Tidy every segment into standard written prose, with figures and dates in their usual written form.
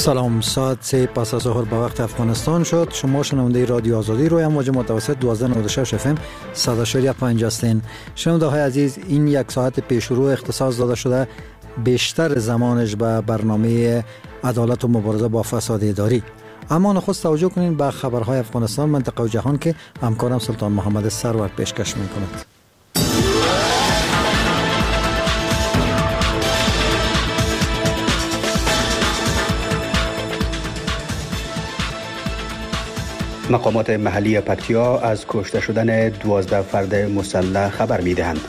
سلام، ساعت 3 پس از ظهر به وقت افغانستان شد. شما شنونده رادیو آزادی روی امواج متوسط 1296 FM 100.5 هستین. شنونده های عزیز، این یک ساعت پیش رو اختصاص داده شده بیشتر زمانش به برنامه عدالت و مبارزه با فساد اداری. اما نخست توجه کنین به خبرهای افغانستان، منطقه و جهان که همکارم سلطان محمد سرور پیشکش میکند. مقامات محلی پکتیا از کشته شدن 12 فرد مسلح خبر می‌دهند.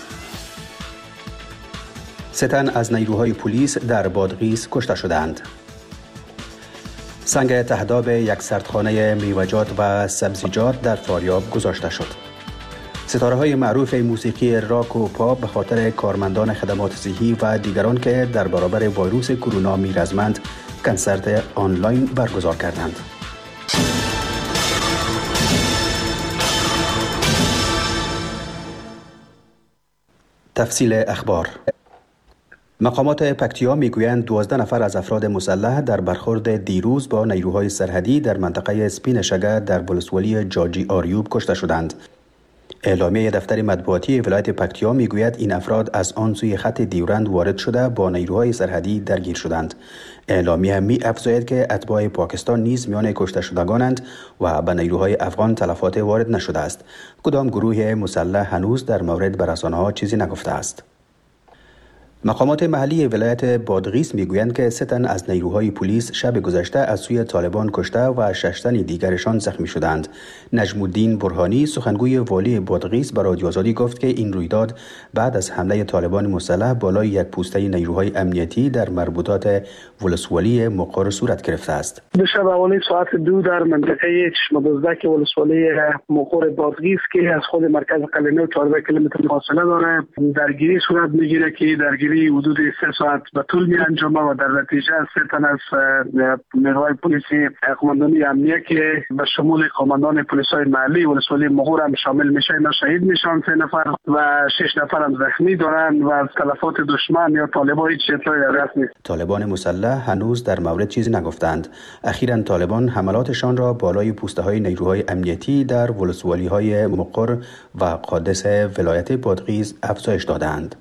3 تن از نیروهای پلیس در بادغیس کشته شدند. سنگ تهداب یک سردخانه میوه‌جات و سبزیجات در فاریاب گذاشته شد. ستاره‌های معروف موسیقی راک و پاپ به خاطر کارمندان خدمات صحی و دیگران که در برابر ویروس کرونا می‌رزمند، کنسرت آنلاین برگزار کردند. تفصیل اخبار. مقامات پکتیا میگویند 12 نفر از افراد مسلح در برخورد دیروز با نیروهای سرحدی در منطقه سپین شگه در ولسوالی جاجی آریوب کشته شدند. اعلامیه دفتر مطبوعاتی ولایت پکتیا میگوید این افراد از آن سوی خط دیورند وارد شده با نیروهای سرحدی درگیر شدند. اعلامیه می افزاید که اتباع پاکستان نیز میان کشته شدگانند و به نیروهای افغان تلفات وارد نشده است. کدام گروه مسلح هنوز در مورد به رسانه‌ها چیزی نگفته است. مقامات محلی ولایت بادغیس میگویند که 3 تن از نیروهای پلیس شب گذشته از سوی طالبان کشته و 6 تن دیگرشان زخمی شدند. نجم الدین برهانی، سخنگوی والی بادغیس، به رادیو آزادی گفت که این رویداد بعد از حمله طالبان مسلح بالای یک پوسته نیروهای امنیتی در مربوطات ولسوالی مقر صورت گرفته است. دو شب حوالی ساعت 2 در منطقه چشمه دزدک ولسوالی مقر بادغیس که از خود مرکز قلعه 14 کیلومتر فاصله داره، درگیری صورت میگیره که درگیری حدود 3 ساعت به طول می انجامه و در نتیجه 3 تن از نیروهای پلیسی قماندانی امنیه که به شمول قماندان پلیس‌های محلی ولسوالی مغور هم شامل میشه، اینا شهید میشن 3 نفر و 6 نفر هم زخمی دارن و از تلفات دشمن یا طالبان هیچ اطلاعی در دست نیست. طالبان مسلح هنوز در مورد چیزی نگفتند. اخیراً طالبان حملاتشان را بالای پوسته‌های نیروهای امنیتی در ولسوالی‌های مقر و قادس ولایت بادغیس افزایش دادند.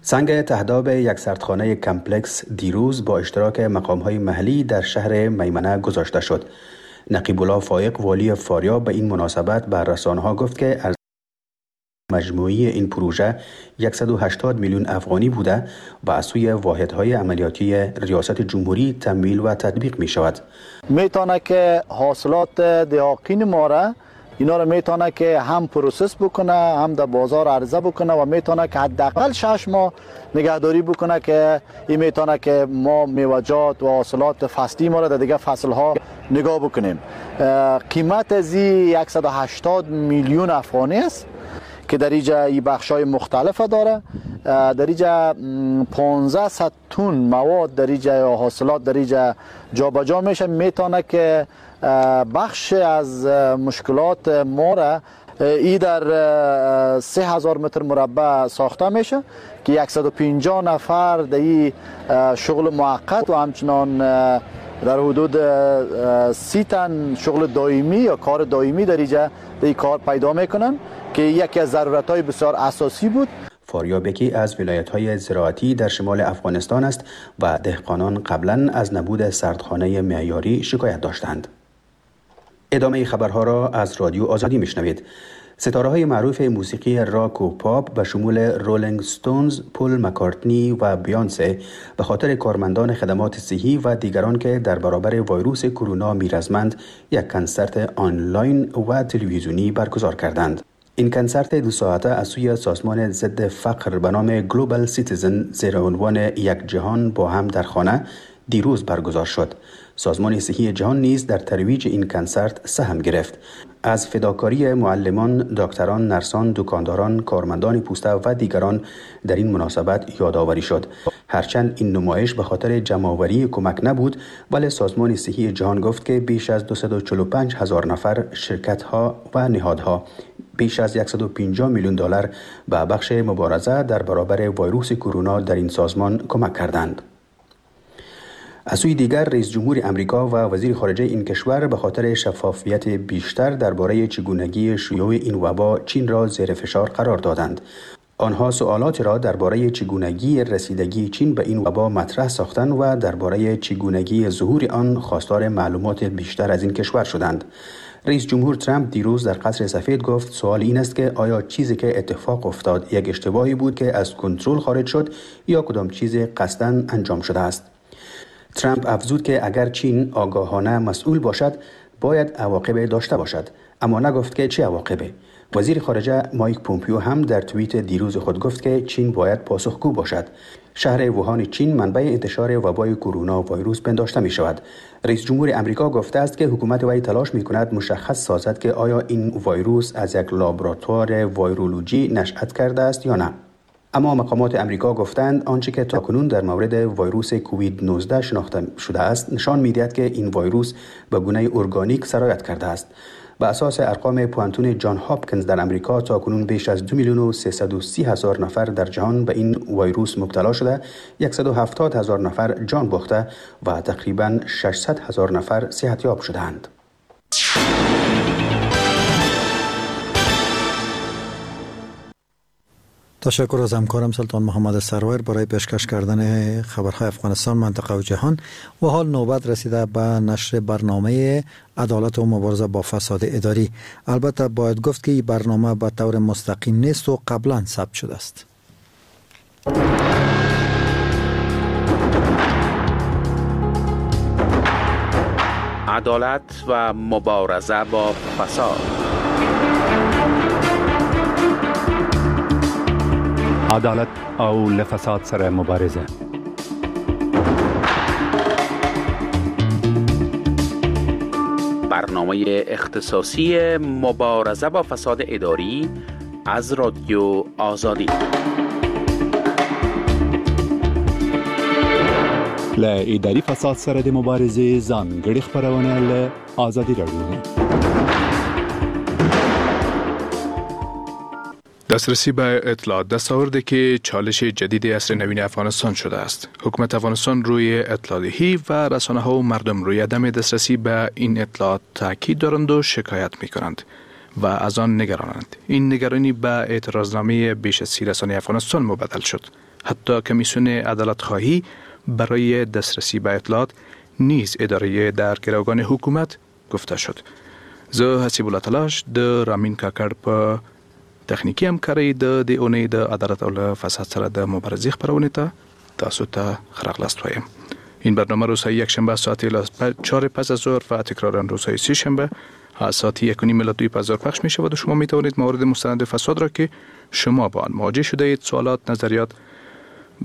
سنگ تهداب یک سردخانه کمپلکس دیروز با اشتراک مقام‌های محلی در شهر میمنه گذاشته شد. نقیب الله فائق، والی فاریاب، به این مناسبت بر رسانه‌ها گفت که ارزش مجموعی این پروژه 180 میلیون افغانی بوده و از سوی واحدهای عملیاتی ریاست جمهوری تمویل و تطبیق می شود. میتونه که حاصلات دهاقین ما را اینا رو میتونه که هم process بکنه، هم در بازار عرضه بکنه و میتونه که حداقل 6 ماه نگهداری بکنه که این میتونه که ما میوه‌جات و حاصلات فصلی ما رو در دیگه فصل‌ها نگاه بکنیم. قیمت از 180 میلیون افغانی است که در اینجا این بخش‌های مختلف داره. در اینجا 1500 تن مواد در اینجا یا حاصلات در اینجا جابجا میشه. میتونه که بخش از مشکلات ما را ای در 3000 متر مربع ساخته میشه که 150 نفر در این شغل موقت و همچنان در حدود 30 تن شغل دائمی یا کار دائمی در اینجا در این کار پیدا میکنن که یکی از ضرورت‌های بسیار اساسی بود. فاریاب یکی از ولایت‌های زراعتی در شمال افغانستان است و دهقانان قبلاً از نبود سردخانه معیاری شکایت داشتند. ادامه خبرها را از رادیو آزادی میشنوید. ستاره‌های معروف موسیقی راک و پاپ به شمول رولینگ ستونز، پل مکارتنی و بیانسه به خاطر کارمندان خدمات صحی و دیگران که در برابر ویروس کرونا می‌رزمند، یک کنسرت آنلاین و تلویزیونی برگزار کردند. این کنسرت 2 ساعته از سوی سازمان ضد فقر به نام گلوبال سیتیزن زیر عنوان یک جهان با هم در خانه دیروز برگزار شد. سازمان صحی جهان نیز در ترویج این کنسرت سهم گرفت. از فداکاری معلمان، دکتران، نرسان، دکانداران، کارمندان پوسته و دیگران در این مناسبت یادآوری شد. هرچند این نمایش به خاطر جمع‌آوری کمک نبود، ولی سازمان صحی جهان گفت که بیش از 245 هزار نفر، شرکت‌ها و نهادها بیش از 150 میلیون دلار به بخش مبارزه در برابر ویروس کرونا در این سازمان کمک کردند. از سوی دیگر، رئیس جمهور امریکا و وزیر خارجه این کشور به خاطر شفافیت بیشتر درباره چگونگی شیوع این وبا چین را زیر فشار قرار دادند. آنها سوالات را درباره چگونگی رسیدگی چین به این وبا مطرح ساختند و درباره چگونگی ظهور آن خواستار معلومات بیشتر از این کشور شدند. رئیس جمهور ترامپ دیروز در قصر سفید گفت سوال این است که آیا چیزی که اتفاق افتاد یک اشتباهی بود که از کنترل خارج شد یا کدام چیز قصداً انجام شده است. ترامپ افزود که اگر چین آگاهانه مسئول باشد باید عواقب داشته باشد، اما نگفت که چه عواقبی. وزیر خارجه مایک پومپیو هم در توییت دیروز خود گفت که چین باید پاسخگو باشد. شهر ووهان چین منبع انتشار وبای کرونا ویروس پنداشته می شود. رئیس جمهور امریکا گفته است که حکومت وی تلاش می کند مشخص سازد که آیا این ویروس از یک لابراتوار ویرولوژی نشأت کرده است یا نه. اما مقامات امریکا گفتند آنچه که تاکنون در مورد ویروس کووید 19 شناخته شده است نشان می‌دهد که این ویروس به گونه ارگانیک سرایت کرده است. به اساس ارقام پوهنتون جان هاپکنز در امریکا تاکنون بیش از 2,330,000 نفر در جهان به این ویروس مبتلا شده، 170,000 نفر جان باخته و تقریباً 600,000 نفر صحتیاب شده‌اند. تشکر از همکارم سلطان محمد سرور برای پیشکش کردن خبرهای افغانستان، منطقه و جهان. و حال نوبت رسیده به نشر برنامه عدالت و مبارزه با فساد اداری. البته باید گفت که این برنامه به طور مستقیم نیست و قبلا ثبت شده است. عدالت و مبارزه با فساد. عدالت او له فساد سره مبارزه. برنامه اختصاصی مبارزه با فساد اداری از رادیو آزادی. له اداري فساد سره د مبارزې ځانګړې خپرونه له ازادي راډیو. دسترسی به اطلاعات دستاوردی که چالش جدید عصر نوین افغانستان شده است. حکومت افغانستان روی اطلاعاتی و رسانه ها و مردم روی عدم دسترسی به این اطلاعات تاکید دارند و شکایت می کنند و از آن نگرانند. این نگرانی به اعتراضنامه بیش از 30 رسانه افغانستان مبدل شد. حتی کمیسیون عدالت خواهی برای دسترسی به اطلاعات نیز اداره در گروگان حکومت گفته شد. زه حسیب الله تلاش د رامین کاکړ په تخنیکي همکارۍ د دې اونۍ د عدالت او له فساد سره د مبارزې خپرونې ته تاسو ته ښه راغلاست وایم. این برنامه روزهای یکشنبه ساعت 4 پس از ظهر و تکرارا روزهای سه شنبه از ساعت 1:30 الی 2 پس از ظهر پخش می شود و شما می توانید موارد مستند فساد را که شما با آن مواجه شده اید، سوالات، نظریات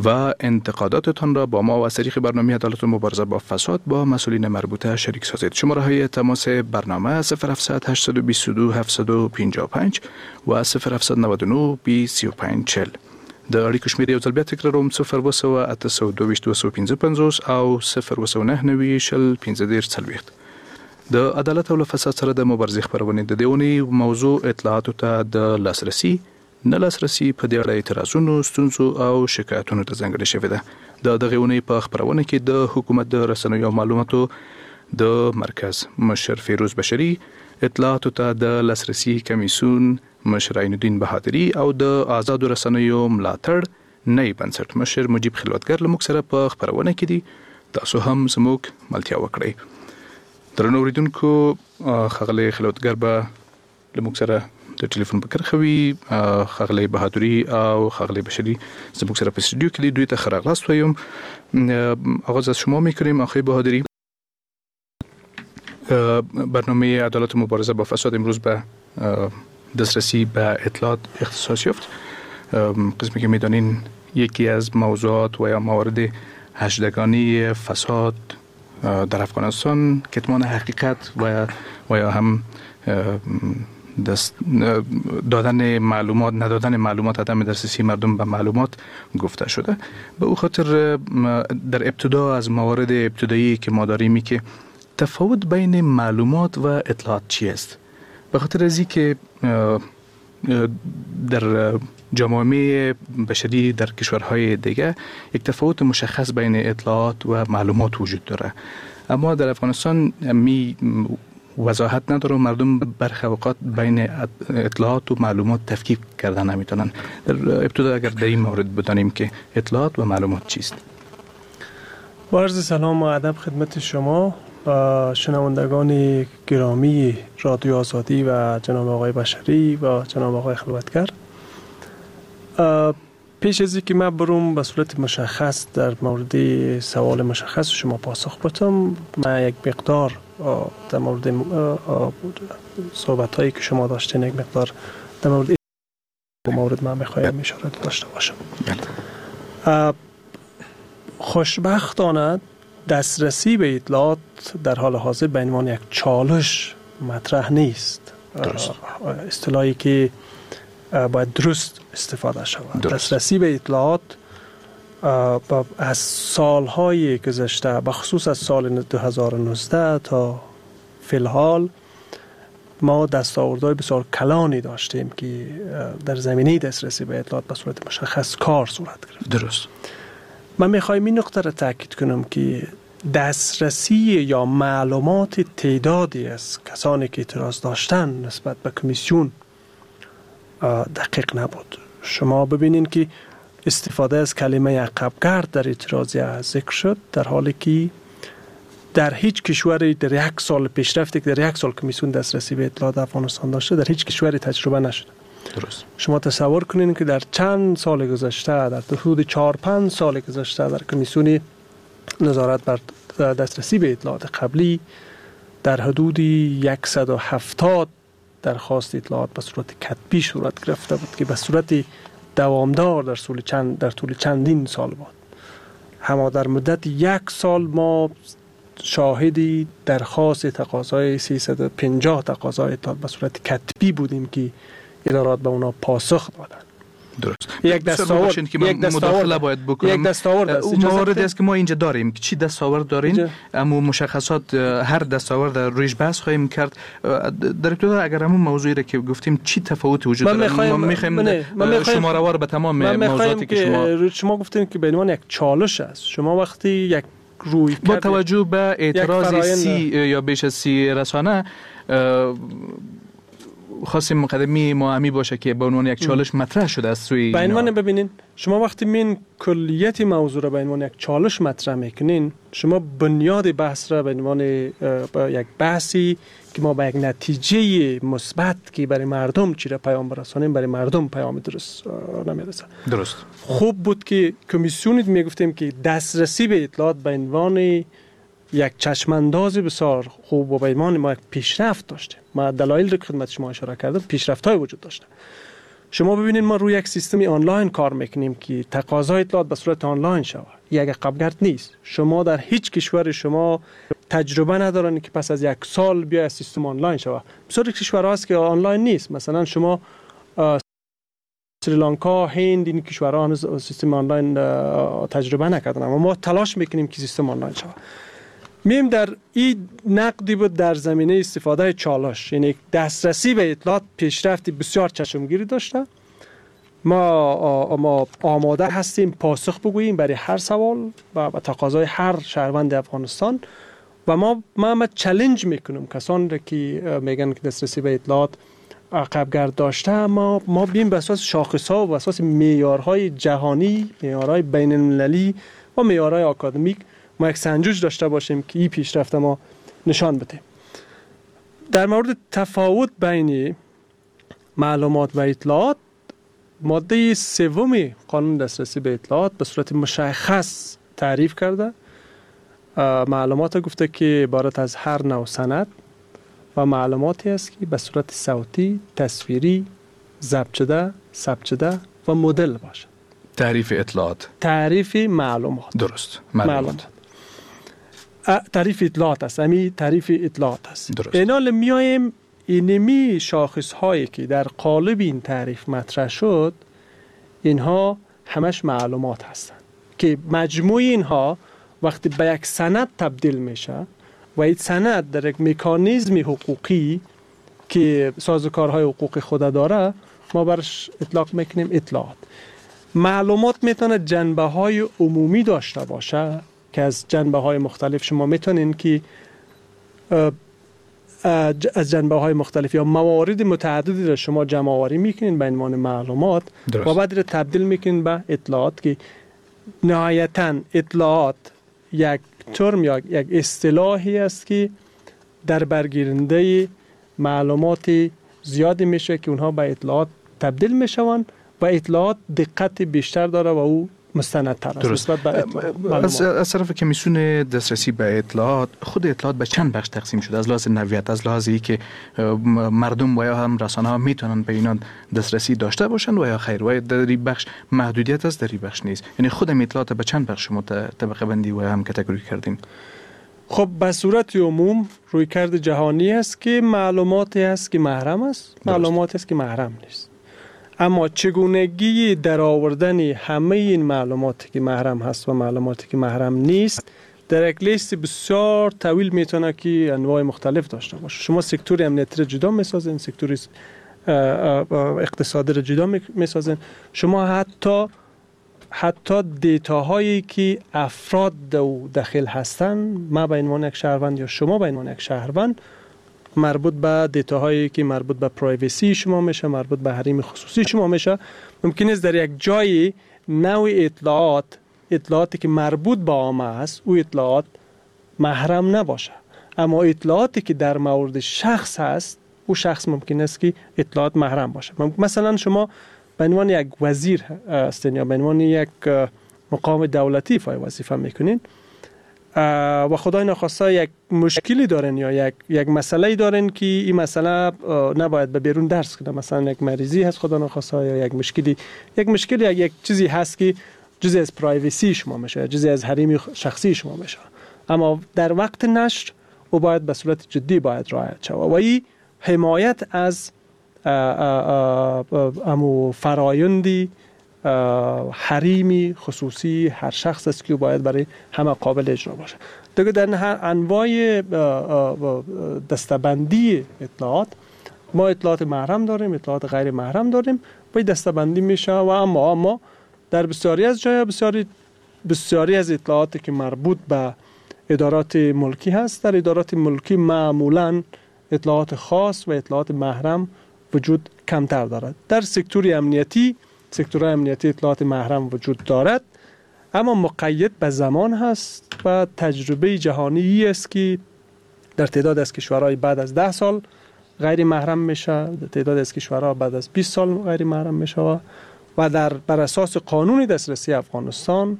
و انتقاداتتان را با ما و از طریق برنامه عدالت و مبارزه با فساد با مسئولین مربوطه شریک سازید. شماره های تماس برنامه 0700 822 755 و 0799 35 40. د اړیکو شمېر یو ځل بیا تکراروم: 07822 255 او 099 20 15 40. د عدالت او له فساد سره د مبارزې خپرونې د دې اونۍ موضوع اطلاعاتو ته د لاسرسي نه لاسرسي په دې اړه اعتراضونو، ستونزو او شکایتونو ته ځانګړې شوې ده. د دغې اونۍ په خپرونه کې د حکومت د رسنیو او معلوماتو د مرکز مشر فیروز بشري، اطلاعاتو ته د لاسرسي کمیسیون مشر عین الدین بهادري او د آزادو رسنیو ملاتړ نی بنسټ مشر مجیب خلوتګر له موږ سره په خپرونه کې دي. تاسو هم زموږ ملتیا وکړئ. درنو اورېدونکو، ښاغلی خلوتګر به له موږ سره د ټلیفون په کرښه وي. ښاغلی بهادري او ښاغلی بشري زموږ سره په استودیو کې دي. دوی ته ښه راغلاست وایم. آغاز از شما میکنیم آقای بهادری. برنامه عدالت و مبارزه با فساد امروز به دسترسی به اطلاعات اختصاص یافت. قسمی که میدانین یکی از موضوعات و یا موارد هشتگانی فساد در افغانستان کتمان حقیقت و یا هم دست دادن معلومات، ندادن معلومات، عدم دسترسی مردم به معلومات گفته شده. به او خاطر در ابتدا از موارد ابتدایی که ما داریم که تفاوت بین معلومات و اطلاعات چی است؟ به خاطر از که در جوامع بشری در کشورهای دیگه یک تفاوت مشخص بین اطلاعات و معلومات وجود داره، اما در افغانستان می وضاحت نداره و مردم برخی اوقات بین اطلاعات و معلومات تفکیک کردن نمیتونن. در ابتدا اگر در این مورد بدانیم که اطلاعات و معلومات چیست. با عرض سلام و ادب خدمت شما و شنوندگان گرامی رادیو آزادی و جناب آقای بشری و جناب آقای خلوتگر. پیش از اینکه من بروم به صورت مشخص در مورد سوال مشخص شما پاسخ بدم، من یک مقدار در مورد صحبت هایی که شما داشتین یک مقدار در مورد من میخوایم اشاره داشته باشم. خوشبختانه دسترسی به اطلاعات در حال حاضر به عنوان یک چالش مطرح نیست. درست. اصطلاحی که باید درست استفاده شود. دسترسی به اطلاعات از سالهای گذشته، به خصوص از سال 2019 تا فی‌الحال، ما دستاوردهای بسیار کلانی داشتیم که در زمینه دسترسی به اطلاعات به صورت مشخص کار صورت گرفت. درست. من میخوایم این نقطه را تاکید کنم که دسترسی یا معلومات تعدادی از کسانی که اعتراض داشتن نسبت به کمیسیون دقیق نبود. شما ببینین که استفاده از کلمه عقبگرد در اعتراضیه ذکر شد، در حالی که در هیچ کشوری در یک سال پیشرفتی که در یک سال کمیسیون دسترسی به اطلاعات افغانستان داشته در هیچ کشوری تجربه نشده. درست. شما تصور کنین که در چند سال گذشته، در حدود 4-5 سال گذشته، در کمیسیون نظارت بر دسترسی به اطلاعات قبلی در حدود 170 درخواست اطلاعات به صورت کتبی صورت گرفته بود که به صورت دوامدار در طول چندین سال بود. اما در مدت یک سال ما شاهدی درخواست تقاضای 350 تقاضای اطلاعات به صورت کتبی بودیم که ادارات به اونا پاسخ دادن. درست. یک دستاورد که من مداخله باید بکنم. یک دستاورد است. موارد است که ما اینجا داریم که چی دستاورد دارین، اما مشخصات هر دستاورد رویش بحث خواهیم کرد. در ابتدا اگر همون موضوعی را که گفتیم چی تفاوت وجود داره، ما می‌خوایم شما را به تمام موضوعاتی که شما گفتین که به عنوان یک چالش است. شما وقتی یک روی با توجه به اعتراض 30 یا بیش از 30 رسانه خواستیم مقدمی ما باشه که به عنوان یک چالش مطرح شده از سوی به عنوان. ببینین شما وقتی من کلیت موضوع را به عنوان یک چالش مطرح میکنین، شما بنیاد بحث را به عنوان یک بحثی که ما به یک نتیجه مثبت که برای مردم چی را پیام برسانیم، برای مردم پیام درست نمیرسه. درست. خوب بود که کمیسیون میگفتیم که دسترسی به اطلاعات به عنوان یک چشمانداز بسیار خوب و به عنوان ما یک پیشرفت داشتیم. ما دلایل رو که خدمت شما اشاره کردم پیشرفت‌های وجود داشته. شما ببینید ما روی یک سیستم آنلاین کار میکنیم که تقاضای اطلاعات به صورت آنلاین شود. یک عقبگرد نیست. شما در هیچ کشور شما تجربه ندارن که پس از یک سال بیا سیستم آنلاین شود. بسیار کشورها هست که آنلاین نیست. مثلا شما سریلانکا، هند، این کشورها هنوز سیستم آنلاین تجربه نکردن، اما ما تلاش میکنیم که سیستم آنلاین شود. میم در این نقدی بود در زمینه استفاده چالش، یعنی دسترسی به اطلاعات پیشرفتی بسیار چشمگیری داشته. ما آماده هستیم پاسخ بگوییم برای هر سوال و تقاضای هر شهروند افغانستان و ما چالش میکنم کسان را که میگن که دسترسی به اطلاعات عقبگرد داشته، ما بیم به اساس شاخص‌ها و به اساس معیارهای جهانی، معیارهای بین المللی و معیارهای آکادمیک ما یک سنجش داشته باشیم که این پیشرفت ما نشان بده. در مورد تفاوت بین معلومات و اطلاعات، ماده سوم قانون دسترسی به اطلاعات به صورت مشخص تعریف کرده. معلومات گفته که عبارت از هر نوع سند و معلوماتی است که به صورت صوتی، تصویری، ضبط شده، ثبت شده و مدل باشه. تعریف اطلاعات، تعریف معلومات. درست. معلومات. تعریف اطلاعات است. همین تعریف اطلاعات است. درست. اینال میایم اینمی شاخص هایی که در قالب این تعریف مطرح شد، اینها همش معلومات هستند که مجموع اینها وقتی به یک سند تبدیل میشه و این سند در یک مکانیزم حقوقی که سازوکارهای حقوق خود داره، ما برش اطلاق میکنیم اطلاعات. معلومات میتونه جنبه های عمومی داشته باشه که از جنبه های مختلف شما میتونین که از جنبه های مختلف یا موارد متعددی را شما جمع آوری میکنین به عنوان معلومات و بعد را تبدیل میکنین به اطلاعات که نهایتاً اطلاعات یک ترم یا یک اصطلاحی است که در برگیرنده معلومات زیادی میشه که اونها به اطلاعات تبدیل میشوند و اطلاعات دقت بیشتر داره و او مستندتر است نسبت به اطلاعات. از طرف کمیسیون دسترسی به اطلاعات، خود اطلاعات به چند بخش تقسیم شده؟ از لحاظ نوعیت، از لحاظ اینکه مردم و یا هم رسانه ها میتونن به اینا دسترسی داشته باشن و یا خیر، و در این بخش محدودیت است، در این بخش نیست. یعنی خود اطلاعات به چند بخش شما طبقه بندی و هم category کردین؟ خب به صورت عموم رویکرد جهانی است که معلوماتی است که محرم است، معلوماتی است که محرم نیست. اما چگونگی در آوردن همه این معلوماتی که محرم هست و معلوماتی که محرم نیست در یک لیست بسیار طویل میتونه که انواع مختلف داشته باشه. شما سکتور امنیتی را جدا میسازین، سکتور اقتصادی را جدا میسازین، شما حتی data هایی که افراد داخل هستن، ما به عنوان یک شهروند یا شما به عنوان یک شهروند، مربوط به data هایی که مربوط به privacy شما میشه، مربوط به حریم خصوصی شما میشه، ممکن است در یک جای نوع اطلاعاتی که مربوط به عامه است او اطلاعات محرم نباشه، اما اطلاعاتی که در مورد شخص هست او شخص ممکن است که اطلاعات محرم باشه. مثلا شما به عنوان یک وزیر هستین یا به عنوان یک مقام دولتی ایفای وظیفه میکنین و خدای نخواسته یک مشکلی دارن یا یک مسئله دارن که این مسئله نباید به بیرون درس کنه، مثلا یک مریضی هست خدا نخواسته یا یک مشکلی یک چیزی هست که جزئی از پرایوسی شما میشه، جزئی از حریم شخصی شما میشه، اما در وقت نشر او باید به صورت جدی باید رعایت شود و این حمایت از امو فرایندی حریمی خصوصی هر شخص است که باید برای همه قابل اجرا باشه. دیگه در هر انواع دستبندی اطلاعات ما اطلاعات محرم داریم، اطلاعات غیر محرم داریم و این دستبندی میشه و اما در بسیاری از جای بسیاری از اطلاعاتی که مربوط به ادارات ملکی هست، در ادارات ملکی معمولاً اطلاعات خاص و اطلاعات محرم وجود کمتر دارد. در سکتور امنیتی، سکتور امنیتی اطلاعات محرم وجود دارد، اما مقید به زمان هست و تجربه جهانی است که در تعداد از کشورهای بعد از 10 سال غیر محرم میشه، در تعداد از کشورها بعد از 20 سال غیر محرم میشه و در بر اساس قانون دسترسی افغانستان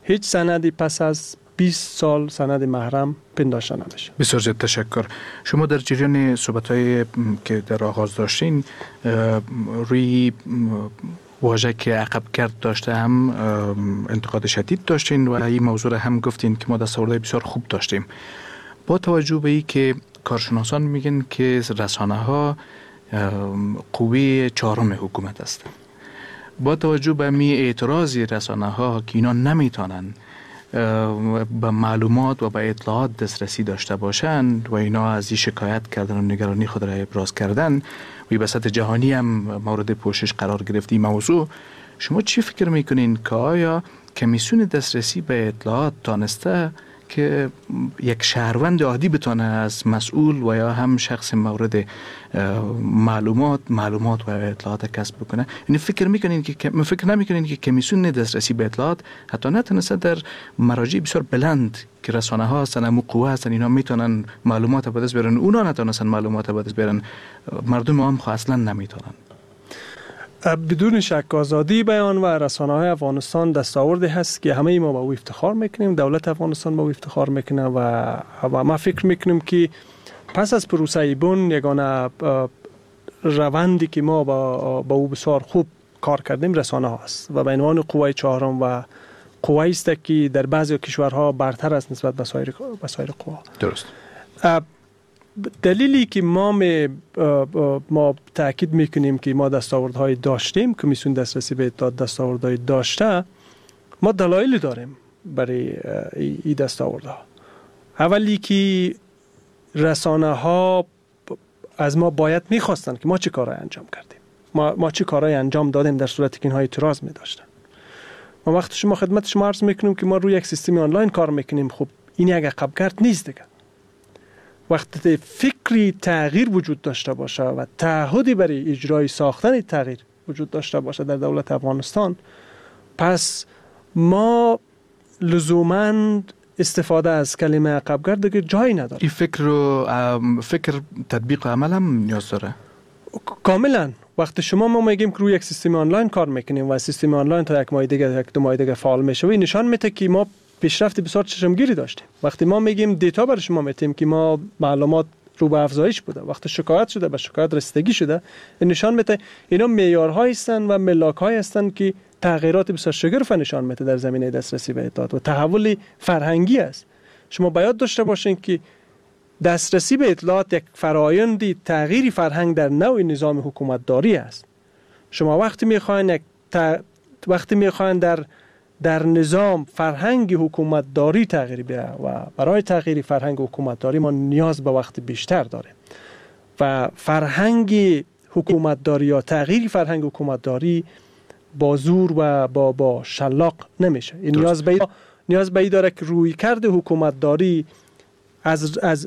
هیچ سندی پس از 20 سال سند محرم پنداشته نمیشه. بسیار زیاد تشکر. شما در جریان صحبت‌های که در آغاز داشتین روی واژه که عقب کرد داشته هم انتقاد شدید داشتین و این موضوع را هم گفتین که ما دستاوردهای بسیار خوب داشتیم. با توجه به این که کارشناسان میگن که رسانه ها قوه چهارم حکومت هستند، با توجه به می اعتراض رسانه ها که اینا نمیتونن به معلومات و به اطلاعات دسترسی داشته باشند و اینا از این شکایت کردن و نگرانی خود را ابراز کردن و به سطح جهانی هم مورد پوشش قرار گرفت این موضوع، شما چی فکر میکنین که آیا کمیسیون دسترسی به اطلاعات تانسته که یک شهروند عادی بتانه از مسئول و یا هم شخص مورد معلومات و اطلاعات کسب بکنه؟ یعنی فکر میکنین که فکر نمیکنین که کمیسیون دسترسی به اطلاعات حتی نتونسته در مراجع بسیار بلند که رسانه ها هستن، امو قوه هستن، اینا میتونن معلومات به دست بیارن، اونا نتونستن معلومات به دست بیارن، مردم عام خو اصلا نمیتونن؟ بدون شک آزادی بیان و رسانه‌های افغانستان دستاوردی هست که همه ما با او افتخار میکنیم، دولت افغانستان با او افتخار میکنه و ما فکر میکنیم که پس از پروسه بن یگانه روندی که ما با او بسیار خوب کار کردیم رسانه ها است و به عنوان قوه چهارم و قوه است که در بعضی کشورها برتر است نسبت به سایر قوا. درست. دلیلی که ما تاکید میکنیم که ما دستاوردهای داشتیم، کمیسیون دسترسی به اطلاعات دستاوردهای داشته، ما دلایلی داریم برای این دستاوردها. اولی که رسانه ها از ما باید میخواستن که ما چه کارهای انجام کردیم، ما چه کارهای انجام دادیم در صورتی که اینها اعتراض میداشتن. ما وقتی شما خدمت شما عرض میکنیم که ما روی یک سیستم آنلاین کار میکنیم، خب این یک عقبگرد نیست دیگه. وقتی فکری تغییر وجود داشته باشه و تعهدی برای اجرای ساختن تغییر وجود داشته باشه در دولت افغانستان، پس ما لزوماً استفاده از کلمه عقبگرد دیگه جایی نداره. این فکر رو فکر تطبیق عمل هم نیاز داره. کاملا. وقتی شما ما میگیم که روی یک سیستم آنلاین کار میکنیم و سیستم آنلاین تا یک ماه دیگه، یک دو ماه دیگه فعال میشه، و این نشان میده که ما پیشرفت بسیار چشمگیری داشتیم. وقتی ما میگیم data برای شما میتیم که ما معلومات رو به افزایش بوده، وقتی شکایت شده به شکایت رسیدگی شده، این نشان میده اینا معیارهایی هستند و ملاک‌هایی هستند که تغییرات بسیار شگرف نشان میده در زمینه دسترسی به اطلاعات و تحول فرهنگی است. شما باید داشته باشین که دسترسی به اطلاعات یک فرایند تغییر فرهنگ در نوع نظام حکومتداری است. شما وقتی میخواین وقتی میخواین در نظام فرهنگ حکومتداری تغییر بیاره و برای تغییر فرهنگ حکومتداری ما نیاز به وقت بیشتر داریم و فرهنگ حکومتداری یا تغییر فرهنگ حکومتداری با زور و با شلاق نمیشه. این نیاز به داره که رویکرد حکومتداری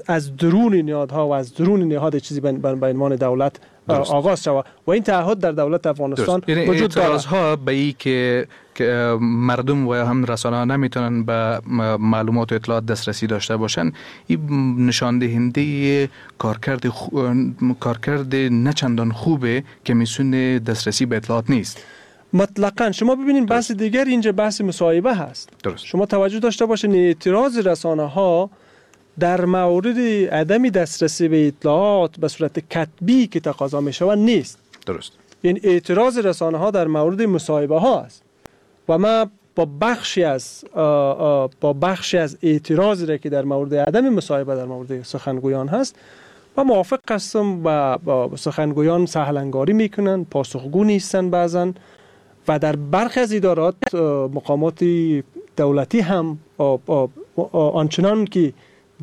از درون نهادها و از درون نهاد چیزی به عنوان دولت آغاز شود و این تعهد در دولت افغانستان وجود دارد. اعتراض به این که مردم و هم رسانه ها نمیتونن به معلومات و اطلاعات دسترسی داشته باشن، این نشان دهنده کارکرد نه چندان خوبه کمیسیون دسترسی به اطلاعات نیست. مطلقاً. شما ببینید بحث دیگر اینجا بحث مصاحبه هست. درست. شما توجه داشته باشین اعتراض رسانه ها در مورد عدم دسترسی به اطلاعات به صورت کتبی که تقاضا می شود نیست. درست. این اعتراض رسانه ها در مورد مصاحبه ها است و ما با بخشی از اعتراضی را که در مورد عدم مصاحبه در مورد سخنگویان هست و موافق هستم و با سخنگویان سهلنگاری میکنن، پاسخگو نیستن بعضا و در برخی از ادارات مقامات دولتی هم آنچنان که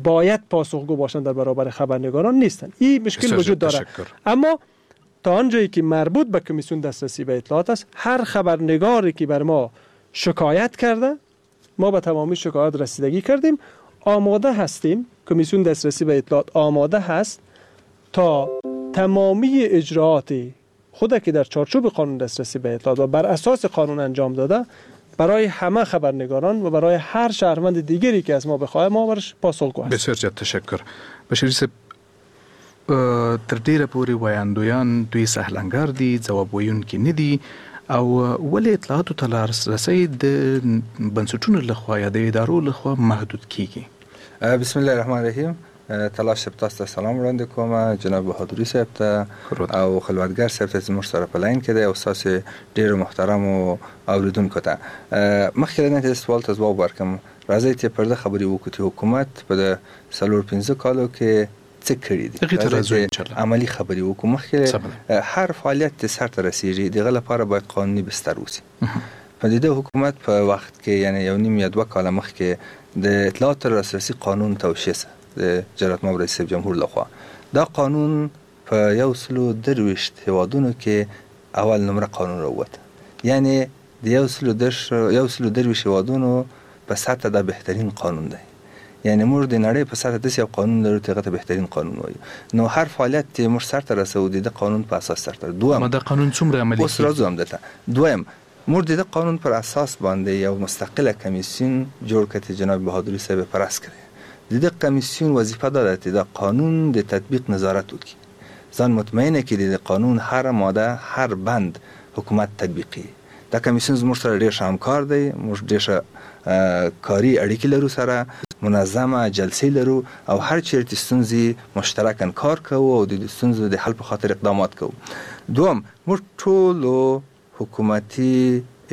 باید پاسخگو باشند در برابر خبرنگاران نیستند. این مشکل وجود داره. اما تا آنجایی که مربوط به کمیسیون دسترسی به اطلاعات است، هر خبرنگاری که بر ما شکایت کرده، ما به تمامی شکایات رسیدگی کردیم، آماده هستیم. کمیسیون دسترسی به اطلاعات آماده هست تا تمامی اجراعات خود که در چارچوب قانون دسترسی به اطلاعات و بر اساس قانون انجام داده برای همه خبرنگاران و برای هر شهروند دیگری که از ما بخواه ما برش پاسخگو هستیم. بسیار زیات تشکر. بشیري صاحب، تر ډیره پورې ویاندویان دوی سهلنګار دي، ځواب ویونکي نه دي، او ولې اطلاعاتو ته لاسرسی د بنسټونو لخوا یا د ادارو لخوا محدود کیږي؟ بسم الله الرحمن الرحیم. تلاش صاحب تاسو ته سلام وړاندې کوم، جناب بهادري صاحب ته او خلوتګر صاحب ته زموږ سره په لاین کې دی او ستاسو ډېرو محترمو اورېدونکو ته. مخکې له دې چې سوال ته ځواب ورکړم، راځئ چې پر دې خبرې وکړو چې حکومت په د 4-5 کالو کې څه کړي دي. عملي خبرې وکړو. مخکې هر فعالیت چې سرته رسیږي د هغه لپاره باید قانوني بستر اوسي. په دې حکومت په وخت کې، یعنی 1.5 یا 2 کاله مخکې د اطلاعات لاسرسي قانون توشیح شو د جلالتمآب رئیس جمهور لخوا. دا قانون په 123 هیوادونو کې اول نمره قانون راووت، یعنی د 123 هیوادونو په سطح دا بهترین قانون دی. یعنی موږ د نړۍ په سطح داسې یو قانون لرو چې هغه ته بهترین قانون وایو. نو هر فعالیت چې موږ سرته رسوو د دې قانون په اساس سرته. دویم، دا قانون څومره عملي اوس راځو همدلته. دویم، موږ د دې قانون پر اساس باندې یو مستقله کمیسیون جوړ کړ چې جناب بهادري صاحب پر راس کړی. د دې کمیسیون وظیفه دا ده چې د قانون د تطبیق نظارت وکړي، ځان مطمئنه کړي د قانون هر ماده هر بند حکومت تطبیقي. دا کمیسیون زموږ سره ډېر ښه همکار دی، موږ ډېر ښه کاري اړیکې لرو، سره منظمه جلسې لرو او هر چیرته ستونزې مشترکاً کار کوو او د ستونزو د حل په خاطر اقدامات کوو. دوم، موږ ټولو حکومتي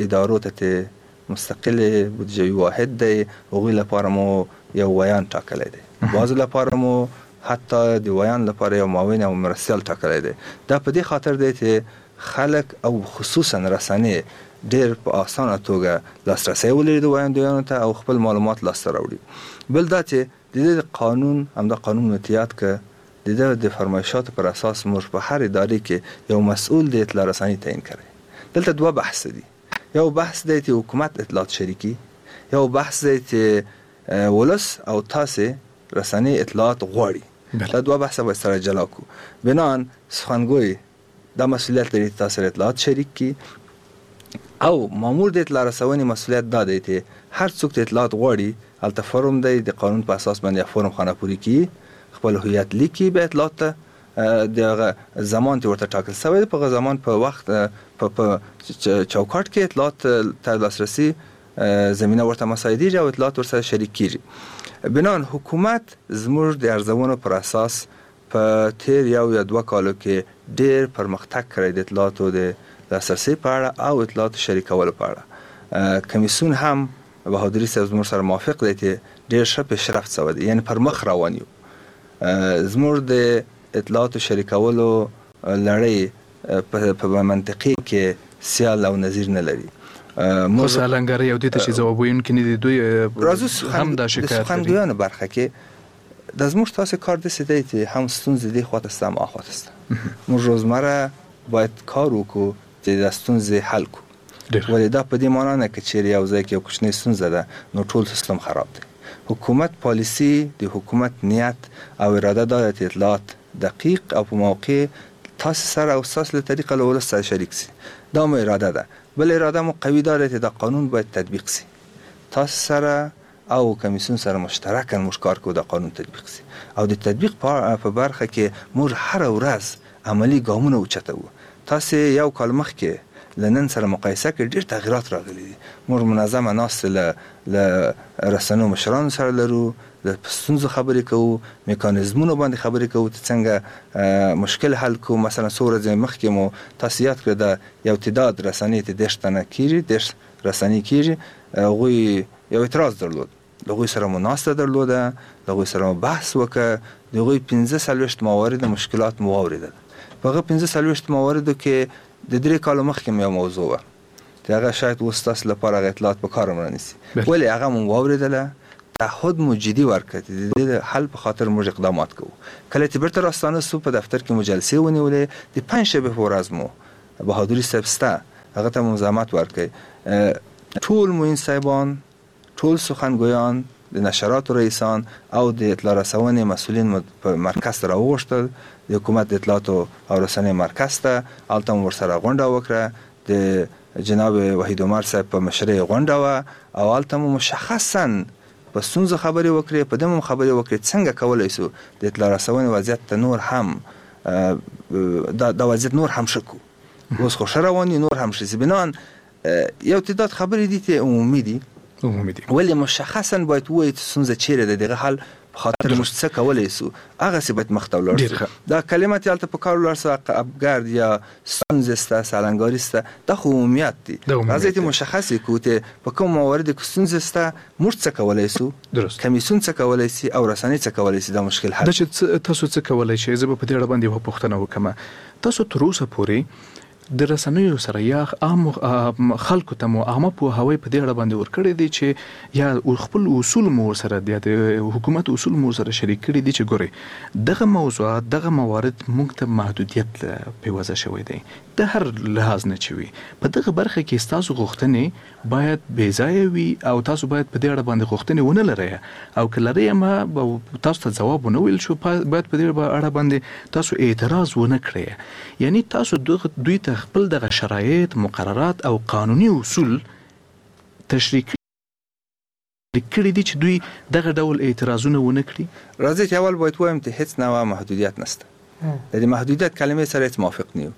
ادارو ته چې مستقل بودجوي واحد دی، هغوی لپاره مو یو ویاند ټاکلی دی، بعضو لپاره مو حتی د ویاند لپاره یو معاون او مرستیال ټاکلی دی. دا په دې خاطر دی چې خلک او خصوصا رسنۍ ډېر په اسانه توګه لاسرسی ولري د ویاندویانو ته او خپل معلومات لاسته راوړي. بل دا چې د دې قانون، همدا قانون متیاد که د ده د فرمایشاتو پر اساس موږ په هر ادارې کې یو مسؤل د اطلاع رساني تعین کړی. دلته دوه بحث دي، یو بحث دی چې حکومت اطلاعات شریکي، یو بحث دی چې ولس او تاسې رسنۍ اطلاعات غواړي. دا دوه بحثه باید سره جلا کړو. بناً سخنګوی دا مسؤلیت لري چې تاسو سره اطلاعات شریک کړي، او مامور د اطلاع رسونې مسؤلیت دا دی چې هر څوک چې اطلاعات غواړي هلته فورم دی، د قانون په اساس باندې فورم خانه پوري کړي، خپل هویت لیکي، بیا اطلاعات ته د هغه زمان چې ورته ټاکل شوی دی په هغه زمان په وخت په چوکاټ کې اطلاعات ته لاسرسي زمینه ورته مساعدېږي او اطلاعات ورسره شریک کیږي. بناً حکومت زموږ د ارزونو پر اساس په تیر یو یا دوه کالو کې ډیر پرمختګ کړی د اطلاعاتو د لاسرسي په اړه او اطلاعاتو شریکولو په اړه. کمیسیون هم بهادري صاحب زموږ سره موافق دی چې ډیر ښه پیشرفت شوی دی، یعنی پر مخ روان یو. زموږ د اطلاعاتو شریکولو لړۍ په منطقې کې سیال او نظیر نه لري. خو سالنګرۍ او دې ته چې ځواب ویونکي نه دي، دوی هم دا شکایت لري. د سخنګویانو برخه کې دا زموږ تاسو کار داسې دی چې هم ستونزې دې خواته شته هم آخواته شته. موږ روزمره باید کار وکړو چې دا ستونزې حل کړو. ولې دا په دې معنا نه که چیرې یو ځای کې یو کوچنۍ ستونزه ده نو ټول سیستم خراب دی. حکومت پالیسي، د حکومت نیت او اراده دا ده چې اطلاعات دقیق او په موقع تاسو سره او ستاسو له طریقه له ولس سره شریک سي. دا مو اراده ده. بل اراده مو قوي دا ده چې دا قانون باید تطبیق سي. تاسو سره او کمیسیون سره مشترکاً موږ کار کوو دا قانون تطبیق سي، او د تطبیق په برخه کې موږ هره ورځ عملي ګامونه اوچتوو. تاسو یو کال مخکې له نن سره مقایسه کې ډېر تغیرات راغلي دي. موږ منظمه ناستې له رسنیو مشرانو سره لرو، له ستونزو خبرې کوو، میکانیزمونو باندې خبرې کوو چې څنګه مشکل حل کړو. مثلا څو ورځې مخکې مو تاسو یاد کړئ دا یو تعداد رسنۍ ته 30 تنه کېږي، 30 رسنۍ کېږي، هغوی یو اعتراض درلود، له هغوی سره مو ناسته درلوده، له هغوی سره مو بحث وکړ، د هغوی 45 موارد مشکلات مو واورېدل. په هغه 45 مواردو کې د 3 کالو مخکې مې یو موضوع وه چې هغه شاید اوس ستاسو لپاره هغه اطلاعات په کار هم رانیسي، ولې هغه مو واورېدله، تعهد مو جدي ورکړ چې د دې حل په خاطر موږ اقدامات کوو. کله چې بیرته راستانه سو په دفتر کې مو جلسې ونیولې، د پنجشنبې په ورځ مو بهادري صاحب سته هغه ته مو زحمت ورکړ، ټول معین صاحبان، ټول سخنګویان، د نشراتو رئیسان او د اطلاع رسونې مسؤلین مو په مرکز ته راوغوښتل، د حکومت د اطلاعاتو او رسنۍ مرکز ته، هلته مو ورسره غونډه وکړه، د جناب وحید عمر صاحب په مشرۍ غونډه وه او هلته مو مشخصاً په ستونزو خبرې وکړې، په دې مو خبرې وکړې څنګه کولی شو د اطلاع رسونې وضعیت ته نور هم دا وضعیت نور هم ښه کړو. اوس خو ښه روان یو، نور هم ښه شي. بناً یو تعداد خبرې دي چې عمومي دي، ولې مشخصاً باید ووایو چې ستونزه چیرې ده، دغه حل په خاطر موږ څه کولی شو، هغسې باید مخته ولاړ شو. دا کلمه چې هلته په کار ولاړ شو، ابګرد یا ستونزې شته، سالنګاري شته، دا خو عمومیت دي. راځئ چې مشخص یې کړو چې په کوم مواردو کې ستونزې شته، موږ څه کولی شو، کمیسیون څه کولی شي او رسنۍ څه کولی شي دا مشکل حل. دا چې تاسو څه کولی شئ، زه به په دې اړه باندې یوه پوښتنه وکړم. تاسو تر اوسه پورې د رسنیو سره یا عام خلکو ته مو عامه پوهاوی په دې اړه باندې ورکړی دی چې یا خپل اصول مو ورسره یا د حکومت اصول مو ورسره شریک کړي دي چې ګورئ دغه موضوعات دغه موارد موږ ته محدودیت پیوازه شوی دی د هر لحاظ نه چې وي په دغه برخه کې ستاسو غوښتنې باید بې ځایه وي او تاسو باید په دې اړه باندې غوښتنې ونه لرئ او که لرئ هم تاسو ته ځواب ونه ویل شو باید په دې اړه باندې تاسو اعتراض ونه کړئ. یعنی تاسو دوی ته خپل دغه شرایط، مقررات او قانوني اصول تشریح کړي دي چې دوی دغه ډول اعتراضونه ونه کړي؟ راځئ چې اول باید ووایم چې هیڅ نوع محدودیت نشته. د دې محدودیت کلمې سره هیڅ موافق نه یو.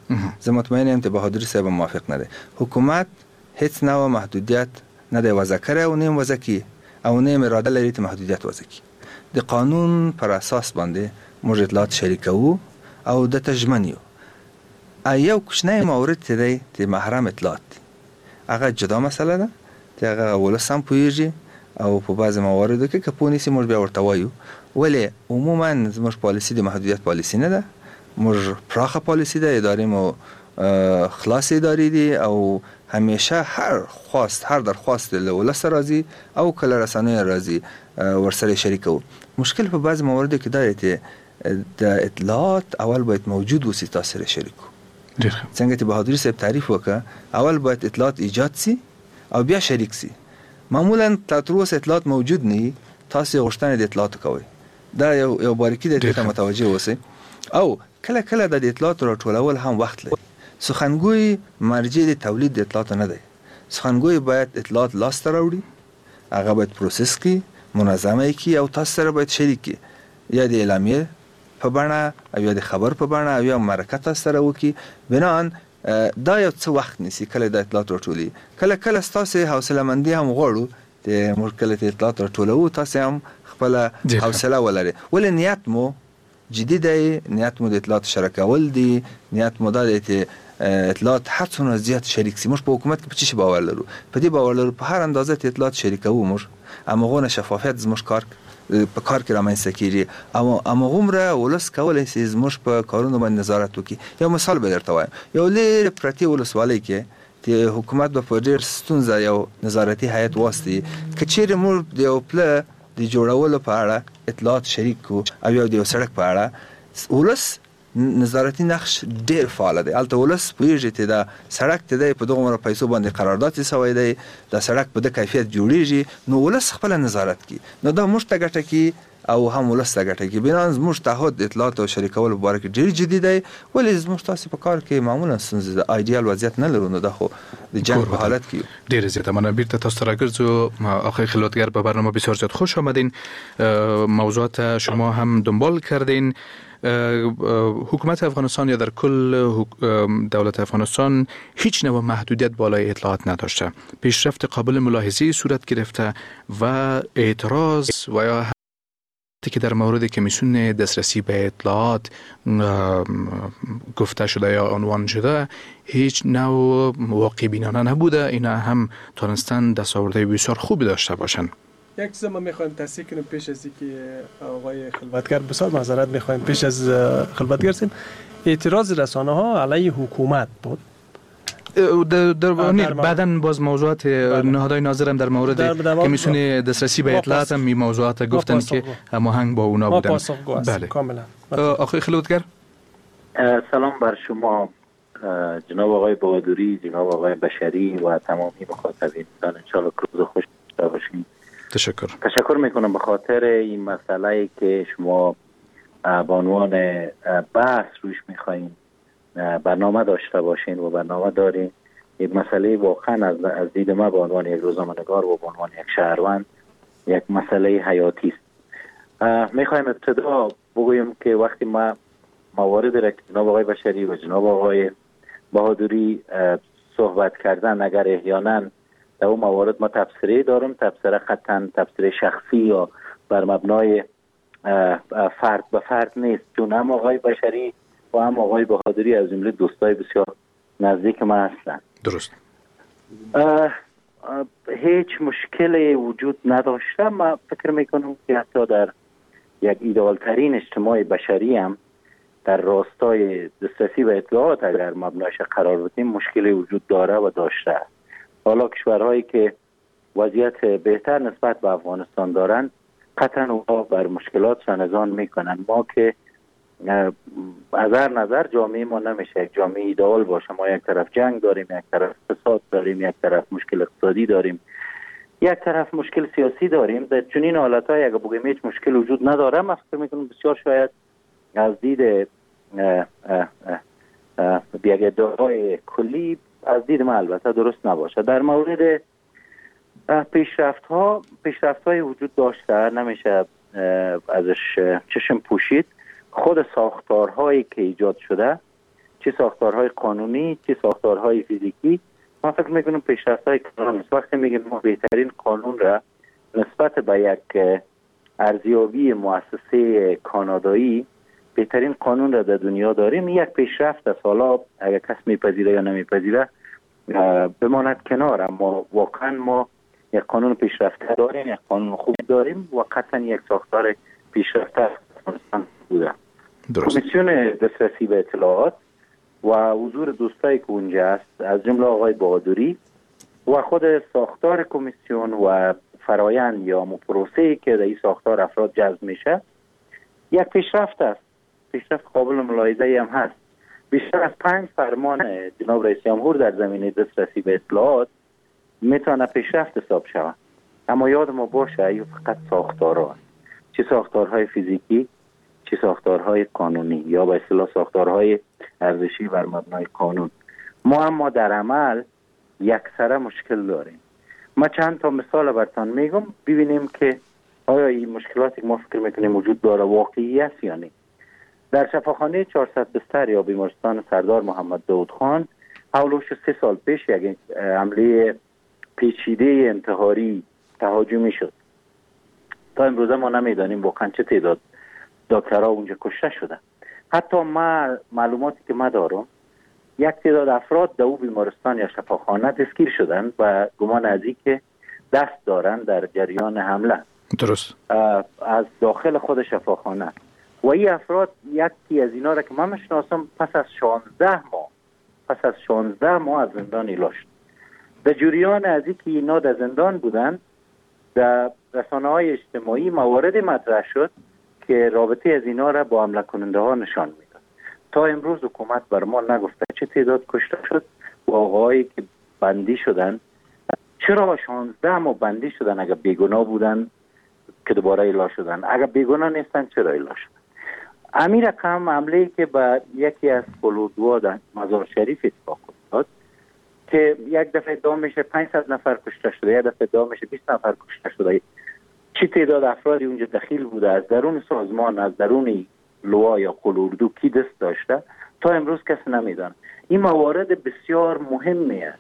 زه مطمئن یم چې بهادري صاحب هم موافق نه دی. حکومت هیڅ نوع محدودیت نه دی وضع کړی او نه هم وضع کړي او نه هم اراده لري چې محدودیت وضع کړي. د قانون پر اساس باندې موږ اطلاعات شریکوو او ده ته ژمن یو. یو کوچنی مورد چې دی د محرم اطلاعات دي، هغه جدا مسله ده چې هغه ولس هم پوهېږي او په بعضې مواردو کې که پوه نه شي موږ بیا ورته وایو. ولې عموما زموږ پالیسي د محدودیت پالیسي نه ده، موږ پراخه پالیسي ده، ادارې مو خلاصې ادارې دي او همیشه هر خواست هر درخواست له ولسه راځي او که له رسنیو راځي ورسره شریکوو. مشکل په بعضې مواردو کې دا دی چې د اطلاعات اول باید موجود اوسي، تاسو سره شریک کړو. څنګه چې بهادري صاحب تعریف وکړ، اول باید اطلاعات ایجاد سي او بیا شریک سي. معمولا تر اوسه اطلاعات موجود نه وي، تاسو غوښتنه د اطلاعاتو کوئ. دا یو باریکي ده، دې ته متوجه اوسئ. او کله کله د اطلاعاتو راټولول هم وخت لري. سخنګوی مرجع د تولید د اطلاعاتو نه دی. سخنګوی باید اطلاعات لاسته راوړي، هغه باید process کړي، منظمه یې کړي او تاسو سره باید شریک کړي، یا د اعلامیې په بڼه او یا د خبر په بڼه او یا مرکه تاسو سره وکړي. بناً دا یو څه وخت نیسي کله د اطلاعات راټولي. کله کله ستاسو حوصله مندي هم غواړو چې موږ کله چې اطلاعات راټولوو تاسو هم خپله حوصله ولرئ. ولې نیت مو جدي دی، نیت مو د اطلاعات شریکول دي، نیت مو دا دی چې اطلاعات هر څومره زیات شریک سي. موږ په حکومت کې په څه شي باور لرو؟ په دې باور لرو په هر اندازه چې اطلاعات شریکوو موږ همغونه شفافیت زموږ کار په کار کې رامنځته کیږي او همغومره ولس کولی سي زموږ په کارونو باندې نظارت وکړي. یو مثال به درته وایم، یو لرې پرتې ولسوالۍ کې چې حکومت به په ډېر ستونزه یو نظارتي هیئت واستي، که چیرې موږ د یو پله د جوړولو په اړه اطلاعات شریک کړو او یو د یو سړک په اړه، ولس نظارتي نقش ډیر فعال دی. هلته ولس پوهیږي چې دا سړک ته دی په دغومره پیسو باندې قرارداد یې سوی دی، دا سړک په ده کیفیت جوړیږي، نو ولس خپله نظارت کوي. نو دا موږ ته ګټه کوي او هم ولس ته ګټه کوي. بناً زموږ تعهد د اطلاعاتو شریکولو په باره کې ډېر جدي دی، ولې زموږ تاسو په کار کې معمولا ستونزې ده، ایډیال وضعیت نه لرو، نو دا خو د جنګ په حالت کې یو. ډېره زیاته مننه. بیرته تاسو ته راګرځو. آقای خلوتگر به برنامه بسیار زیاد خوش آمدین. موضوعات شما هم دنبال کردین. حکومت افغانستان یا در کل دولت افغانستان هیچ نوع محدودیت بالای اطلاعات نداشته، پیشرفت قابل ملاحظه صورت گرفته و اعتراض و یا که در مورد کمیسیون دسترسی به اطلاعات گفته شده یا عنوان شده هیچ نوع واقع بینانه نبوده. اینا هم تانستن دستاوردهای بسیار خوبی داشته باشند. یک چیز ما میخوایم تصحیح کنیم پیش از اینکه آقای خلوتگر، بسیار معذرت میخوایم پیش از خلوتگر سیم، اعتراض رسانه ها علیه حکومت بود. در بعداً باز موضوعات نهادهای ناظرم در مورد کمیسیون دسترسی به اطلاعات هم موضوعات گفتن که هماهنگ با اونا بودن. بله کاملا. آقای خلوتگر سلام بر شما جناب آقای بهادری، جناب آقای بشری و تمامی مخاطبین. انشالله روز خوش داشته باشین. تشکر میکنم به خاطر این مسئله که شما به عنوان بحث روش میخواین برنامه داشته باشین و برنامه دارین. یک مسئله واقعا از دید ما به عنوان یک روزنامه‌نگار و به عنوان یک شهروند یک مسئله حیاتی است. میخوایم ابتدا بگویم که وقتی ما موارد را که جناب آقای بشری و جناب آقای بهادری صحبت کردن، اگر احیانا در اون موارد ما تبصره دارم، تبصره قطعا تبصره شخصی یا بر مبنای فرد به فرد نیست، چون هم آقای بشری و هم آقای بهادری از جمله دوستای بسیار نزدیک ما هستند. درست. هیچ مشکلی وجود نداشته. ما فکر میکنم که حتی در یک ایدئال ترین اجتماع بشری هم در راستای دسترسی به اطلاعات اگر مبنایش قرار بدیم مشکلی وجود داره و داشته. حالا کشورهایی که وضعیت بهتر نسبت به افغانستان دارند قطعا اونها بر مشکلات نظام میکنن. ما که از هر نظر جامعه ما نمیشه یک جامعه ایدئال باشه. ما یک طرف جنگ داریم، یک طرف فساد داریم، یک طرف مشکل اقتصادی داریم، یک طرف مشکل سیاسی داریم. در چنین حالت‌های اگه بگیم هیچ مشکل وجود نداره، من فکر میکنم بسیار شاید از دید یک ادعای کلی از دید من البته درست نباشه. در مورد پیشرفت‌های وجود داشته، نمیشه ازش چشم پوشید. خود ساختارهایی که ایجاد شده، چه ساختارهای قانونی چه ساختارهای فیزیکی، من فکر میکنم پیشرفت‌های کلان است. وقتی میگیم ما بهترین قانون را نسبت به یک ارزیابی مؤسسه کانادایی بهترین قانون را در دنیا داریم، یک پیشرفت است. حالا اگر کس میپذیره یا نمیپذیره بماند کنار، اما واقعا ما یک قانون پیشرفته داریم، یک قانون خوب داریم و قطعا یک ساختار پیشرفته بوده. کمیسیون دسترسی به اطلاعات و حضور دوستایی که اونجا است، از جمله آقای بهادری و خود ساختار کمیسیون و فرایند یا پروسه‌ای که در این ساختار افراد جذب میشه، یک پیشرفت است. پیشرفت قابل ملاحظه هم هست. بیشتر از 5 فرمان جناب رئیس جمهور در زمینه دسترسی به اطلاعات میتونه پیشرفت حساب شود. اما یاد ما باشه ایو فقط ساختارها است، چه ساختارهای فیزیکی، چه ساختارهای قانونی یا به اصطلاح ساختارهای ارزشی بر مبنای قانون. ما اما در عمل یکسره مشکل داریم. ما چند تا مثال براتون میگم، ببینیم که آیا این مشکلاتی که ما فکر میکنیم وجود داره واقعی است یا نه. در شفاخانه 400 بستر یا بیمارستان سردار محمد داود خان حولش 3 سال پیش یک عملیه پیچیده انتحاری تهاجمی شد. تا امروز ما نمیدانیم واقعا چه تعداد دکترها اونجا کشته شدن. حتی ما معلوماتی که ما دارم یک تعداد افراد در او بیمارستان یا شفاخانه دستگیر شدن و گمان از این که دست دارن در جریان حمله. درست. از داخل خود شفاخانه. و این افراد یکی از اینا را که من میشناسم پس از 16 ماه از زندان ایلا شد. در جریان از اینکه اینا در زندان بودن در رسانه‌های اجتماعی موارد مطرح شد که رابطه از اینا را با حمله کننده ها نشان میداد. تا امروز حکومت بر ما نگفته چه تعداد کشته شد و آقایی که بندی شدن چرا 16 ماه بندی شدن اگر بیگناه بودن که دوباره ایلا شدن، اگر بیگناه نیستن چرا ایلا شدن. امیر رقم حمله که به یکی از قلودوا در مزار شریف اتفاق افتاد که یک دفعه ادعا میشه 500 نفر کشته شده، یک دفعه ادعا میشه 20 نفر کشته شده. چه تعداد افرادی اونجا دخیل بوده، از درون سازمان، از درون لوا یا قلوردو کی دست داشته، تا امروز کسی نمیدانه. این موارد بسیار مهمی است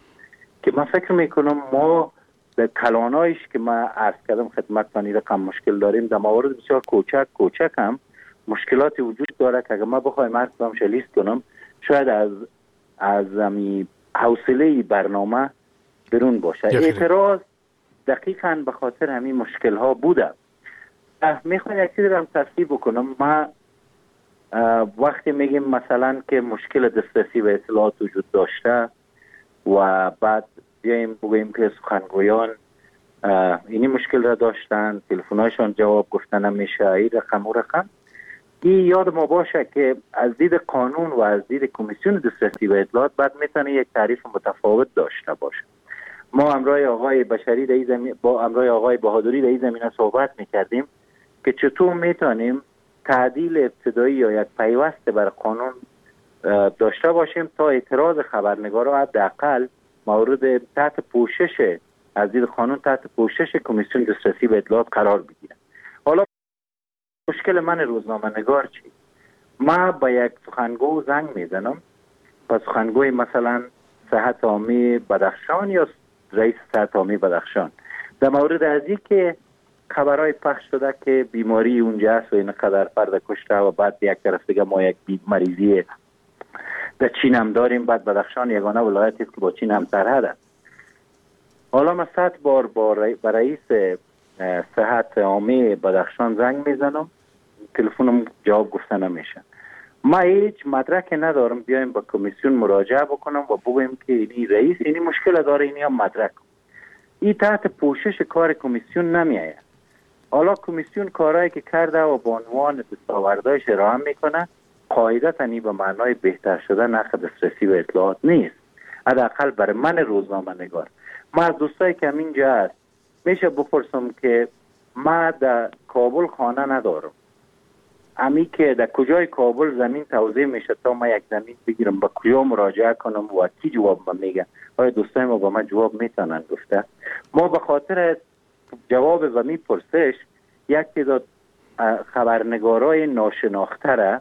که من فکر میکنم ما در کلانایش که من عرض کردم خدمتتان این رقم مشکل داریم، در موارد بسیار کوچک کوچک هم مشکلاتی وجود داره که اگر ما بخوایم هر کدامش لیست کنم شاید از حوصله برنامه برون باشه. اعتراض دقیقاً به خاطر همین مشکل ها بوده. میخوایم یک چیزی رو هم تصحیح بکنم. ما وقتی میگیم مثلا که مشکل دسترسی به اطلاعات وجود داشته و بعد بیایم بگوییم که سخنگویان اینی مشکل را داشتن، تلفن‌هایشان جواب گفتن نمیشه، این رقم و رقم، این یاد ما باشه که از دید قانون و از دید کمیسیون دسترسی به اطلاعات بعد میتونه یک تعریف متفاوت داشته باشه. ما همراه آقای بشری با همراه آقای بهادری در این زمینه صحبت میکردیم که چطور میتونیم تعدیل ابتدایی یا یک پیوست بر قانون داشته باشیم تا اعتراض خبرنگارا حداقل مورد تحت پوشش از دید قانون تحت پوشش کمیسیون دسترسی به اطلاعات قرار بگیره. حالا مشکل من روزنامه نگار چی؟ ما با یک سخنگو زنگ میزنم، با سخنگوی مثلا صحت عامه بدخشان یا رئیس صحت عامه بدخشان، در مورد از این که خبرهای پخش شده که بیماری اونجا است و اینقدر فرد کشته و بعد یک طرف دیگه ما یک مریضی در چین هم داریم، بعد بدخشان یگانه ولایتی است که با چین هم سرحد است. حالا من 100 بار با رئیس صحت عامه بدخشان زنگ میزنم، تلفنم جواب گفته نمیشه. ما هیچ مدرک ندارم بیایم با کمیسیون مراجعه بکنم و بگویم که اینی رئیس اینی مشکل داره، اینی هم مدرک. این تحت پوشش کار کمیسیون نمیآید. حالا کمیسیون کارهایی که کرده و به عنوان دستاوردهایش ارائه میکنه، قاعدتا این به معنای بهتر شدن حق دسترسی به اطلاعات نیست، حداقل برای من روزنامه نگار. ما از دوستایی که همینجا هست میشه بپرسم که ما در کابل خانه ندارم، امی که در کجای کابل زمین توزیع میشه تا ما یک زمین بگیرم، با کجا مراجعه کنم و کی جواب ما میگه؟ آیا دوستای ما با من جواب میتونن گفته؟ ما به خاطر جواب و می پرسش یک تعداد خبرنگارای ناشناخته را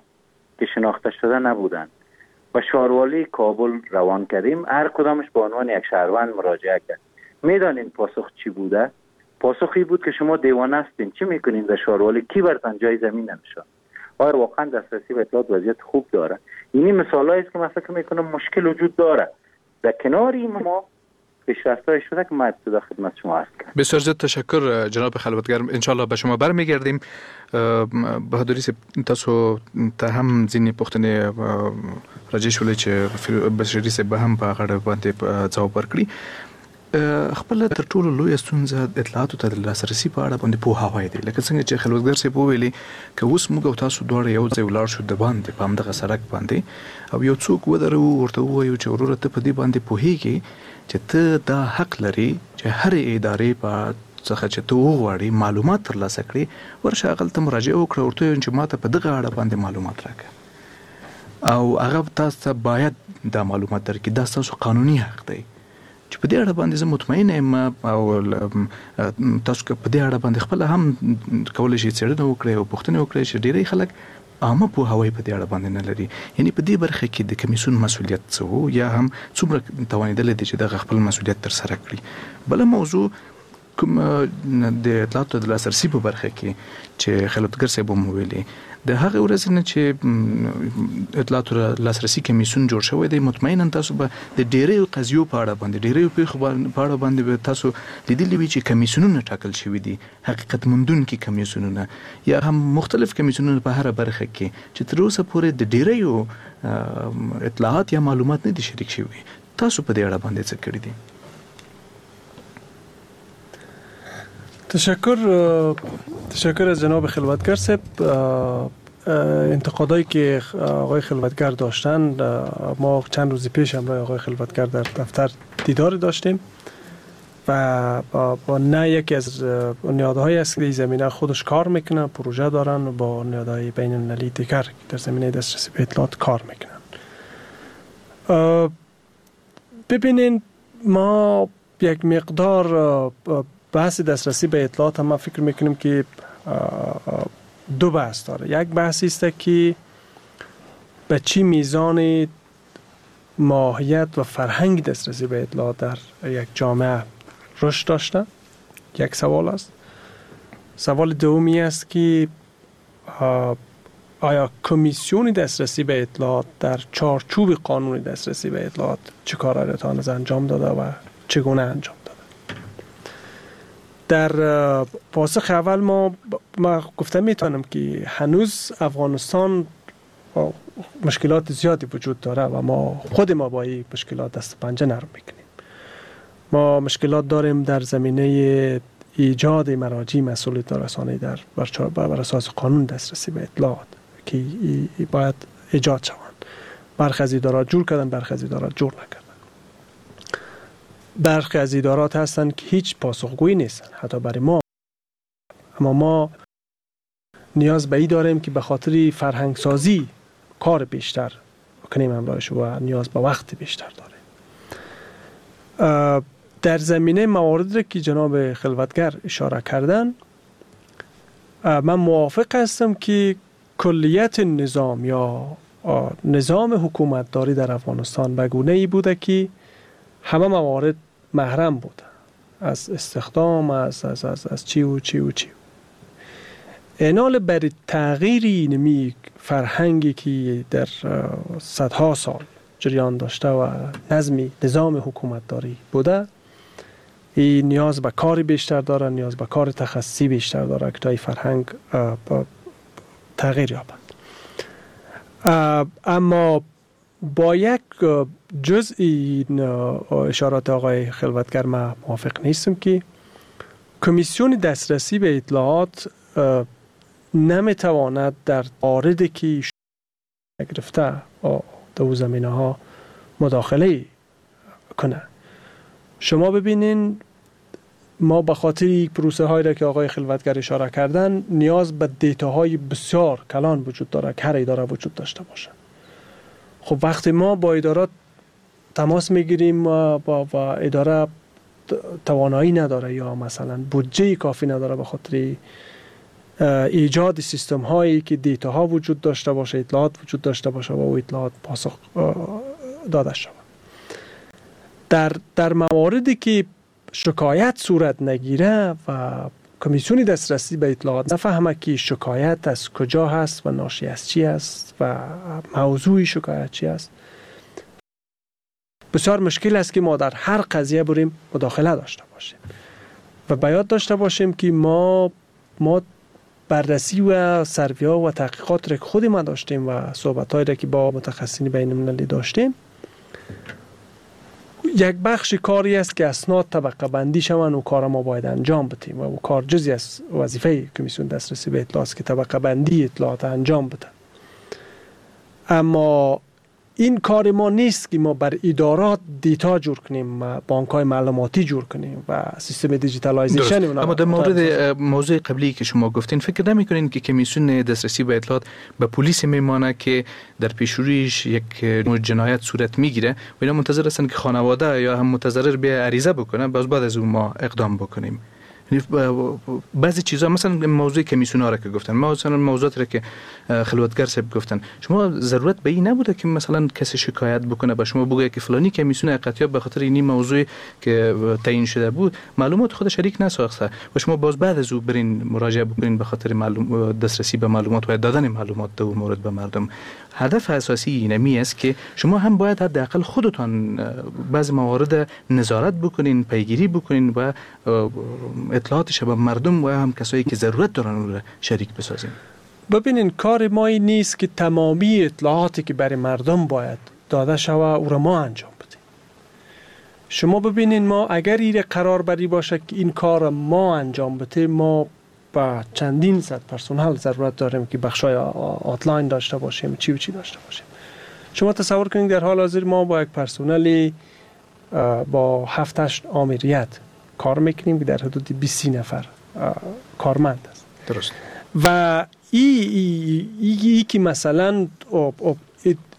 که شناخته شده نبودن و شاروالی کابل روان کردیم، هر کدامش به عنوان یک شهروند مراجعه کرد. میدانین پاسخ چی بوده؟ پاسخی بود که شما دیوانه هستین، چی میکنین در شاروالی، کی برتان جای زمین نمیشه؟ آیا واقعا دسترسی به اطلاعات وضعیت خوب داره؟ اینی مثالایی است که من فکر میکنم مشکل وجود داره. در کنار این ما پیشرفت‌های شده که من ابتدا خدمت شما عرض کردم. بسیار زیاد تشکر جناب خلوتگر، ان شاء الله به شما برمیگردیم. بهادری صاحب تاسو ته هم ځینې پوښتنې راجع شولې چې بشري صاحب به هم په هغه اړه باندې ځواب ورکړي. خپل تر ټولو لویه ستونزه اطلاعاتو ته د لاسرسي په اړه باندې پوهاوی دی. لکه څنګه چې خلوتګر صاحب وویلې، که اوس موږ او تاسو دواړه یو ځای ولاړ شو د باندې په همدغه سړک باندې او یو څوک ودروو، ورته ووایو چې وروره ته په دې باندې پوهیږې چې ته دا حق لرې چې هرې ادارې په څخه چې ته وغواړې معلومات ترلاسه کړې، ورشه هغلته مراجعه وکړه، ورته ووایه چې ماته په دغه اړه باندې معلومات راکړه او هغه تاسو ته باید دا معلومات درکړي، دا ستاسو قانوني حق دی. چې په دې اړه باندې زه مطمئن یم او تاسو که په دې اړه باندې خپله هم کولی شئ څېړنه وکړئ او پوښتنې وکړئ چې ډېری خلک عامه پوهاوی په دې اړه باندې نه لري. یعنی په دې برخه کې د کمیسیون مسؤلیت څه وو یا هم څومره توانېدلی دی چې دغه خپل مسؤلیت ترسره کړي؟ بله موضوع کوم د اطلاعاتو د لاسرسي په برخه کې چې خلوتګر صاحب هم ویلي، د هغې ورځې نه چې اطلاعاتو لاسرسي کمیسیون جوړ شوی دی، مطمئنا تاسو به د ډیریو قضیو په اړه باندې، ډیریو پیښو په اړه باندې به تاسو لیدلي وي چې کمیسیونونه ټاکل شوي دي، حقیقت موندونکي کمیسیونونه یا هم مختلف کمیسیونونه په هره برخه کې چې تر اوسه پورې د ډیریو اطلاعات یا معلومات نه دي شریک شوي. تاسو په دې اړه باندې څه کړي دي؟ تشکر از جناب خلوتگر صاحب. انتقادایی که آقای خلوتگر داشتن، ما چند روز پیش همراه آقای خلوتگر در دفتر دیدار داشتیم و با نه یکی از نهادهای است که در زمینه خودش کار میکنه، پروژه دارن و با نهادهای بین المللی دیگر در زمینه دسترسی به اطلاعات کار میکنن. ببینین، ما یک مقدار بحث دسترسی به اطلاعات هم ما فکر میکنیم که دو بحث داره. یک بحثی است که به چی میزان ماهیت و فرهنگ دسترسی به اطلاعات در یک جامعه رشد داشته، یک سوال است. سوال دومی است که آیا کمیسیون دسترسی به اطلاعات در چارچوب قانون دسترسی به اطلاعات چه کارهایی را تا هنوز انجام داده و چگونه انجام داده. در پاسخ اول ما گفته میتونم که هنوز افغانستان مشکلات زیادی وجود داره و ما خود ما با این مشکلات دست پنجه نرم میکنیم. ما مشکلات داریم در زمینه ایجاد مراجع مسئولیت رسانه‌ای در بر اساس قانون دسترسی به اطلاعات که باید ایجاد شوند. برخی از ادارات جور کردن، برخی از ادارات جور نکردن. برخی از ادارات هستند که هیچ پاسخگویی نیستن حتی برای ما. اما ما نیاز به این داریم که به خاطر فرهنگ سازی کار بیشتر کنیم همراهش و نیاز به وقت بیشتر داریم. در زمینه موارد که جناب خلوتگر اشاره کردن، من موافق هستم که کلیت نظام یا نظام حکومتداری در افغانستان به گونه ای بوده که همه موارد محرم بوده، از استخدام، از از از از چی و چی و چی. اینال برای تغییر اینمی فرهنگی که در صدها سال جریان داشته و نظمی نظام حکومتداری بوده، این نیاز به کار بیشتر داره، نیاز به کار تخصصی بیشتر داره که تا این فرهنگ تغییر یابد. اما با یک جزء این اشارات آقای خلوتگر ما موافق نیستم که کمیسیون دسترسی به اطلاعات نمیتواند در مواردی که گرفته در زمینه ها مداخله کنه. شما ببینین، ما به خاطر پروسه هایی را که آقای خلوتگر اشاره کردن نیاز به دیتاهای بسیار کلان وجود داره که هر اداره وجود داشته باشه. خب وقتی ما با ادارات تماس میگیریم و اداره توانایی نداره یا مثلا بودجه کافی نداره به خاطر ایجاد سیستم هایی که دیتا ها وجود داشته باشه، اطلاعات وجود داشته باشه و او اطلاعات پاسخ داده شود. در مواردی که شکایت صورت نگیره و کمیسیون دسترسی به اطلاعات نفهمه که شکایت از کجا هست و ناشی از چی است و موضوع شکایت چی است، بسیار مشکل است که ما در هر قضیه بریم مداخله داشته باشیم. و باید داشته باشیم که ما بررسی و سرویا و تحقیقات را که خود ما داشتیم و صحبت‌هایی را که با متخصصین بین المللی داشتیم، یک بخش کاری است که اسناد طبقه بندی شوند و کار ما باید انجام بدیم و کار جزی از وظیفه کمیسیون دسترسی به اطلاعات است که طبقه بندی اطلاعات انجام بده. اما این کار ما نیست که ما بر ادارات data جور کنیم، بانک های معلوماتی جور کنیم و سیستم digitalization. اما در مورد موضوع قبلی که شما گفتین، فکر نمی‌کنین که کمیسیون دسترسی به اطلاعات به پلیس میمانه که در پیشرویش یک جنایت صورت میگیره و اینا منتظر هستن که خانواده یا هم متضرر به عریضه بکنه، باز بعد از اون ما اقدام بکنیم؟ بعضی چیزا، مثلا موضوع کمیسیون ها را که گفتن، مثلا موضوعات را که خلوتگر صاحب گفتن، شما ضرورت به این نبوده که مثلا کسی شکایت بکنه به شما، بگه که فلانی کمیسیون حقیقت به خاطر این موضوع که تعیین شده بود معلومات خود شریک نساخته و شما باز بعد از او برین مراجعه بکنین به خاطر معلوم دسترسی به معلومات و دادن معلومات دو مورد به مردم؟ هدف اساسی اینمی است که شما هم باید حداقل خودتان بعضی موارد نظارت بکنین، پیگیری بکنین و اطلاعاتش به مردم و هم کسایی که ضرورت دارن رو شریک بسازین. ببینین، کار ما این نیست که تمامی اطلاعاتی که برای مردم باید داده شوه او را ما انجام بدیم. شما ببینین، ما اگر این قرار بری باشه که این کار ما انجام بده، ما با چندین صد پرسنل ضرورت داریم که بخشای hotline داشته باشیم، چی و چی داشته باشیم. شما تصور کنید در حال حاضر ما با یک پرسنلی با 7 8 آمریت کار میکنیم که در حدود 20 نفر کارمند است. و ای, ای, ای که مثلا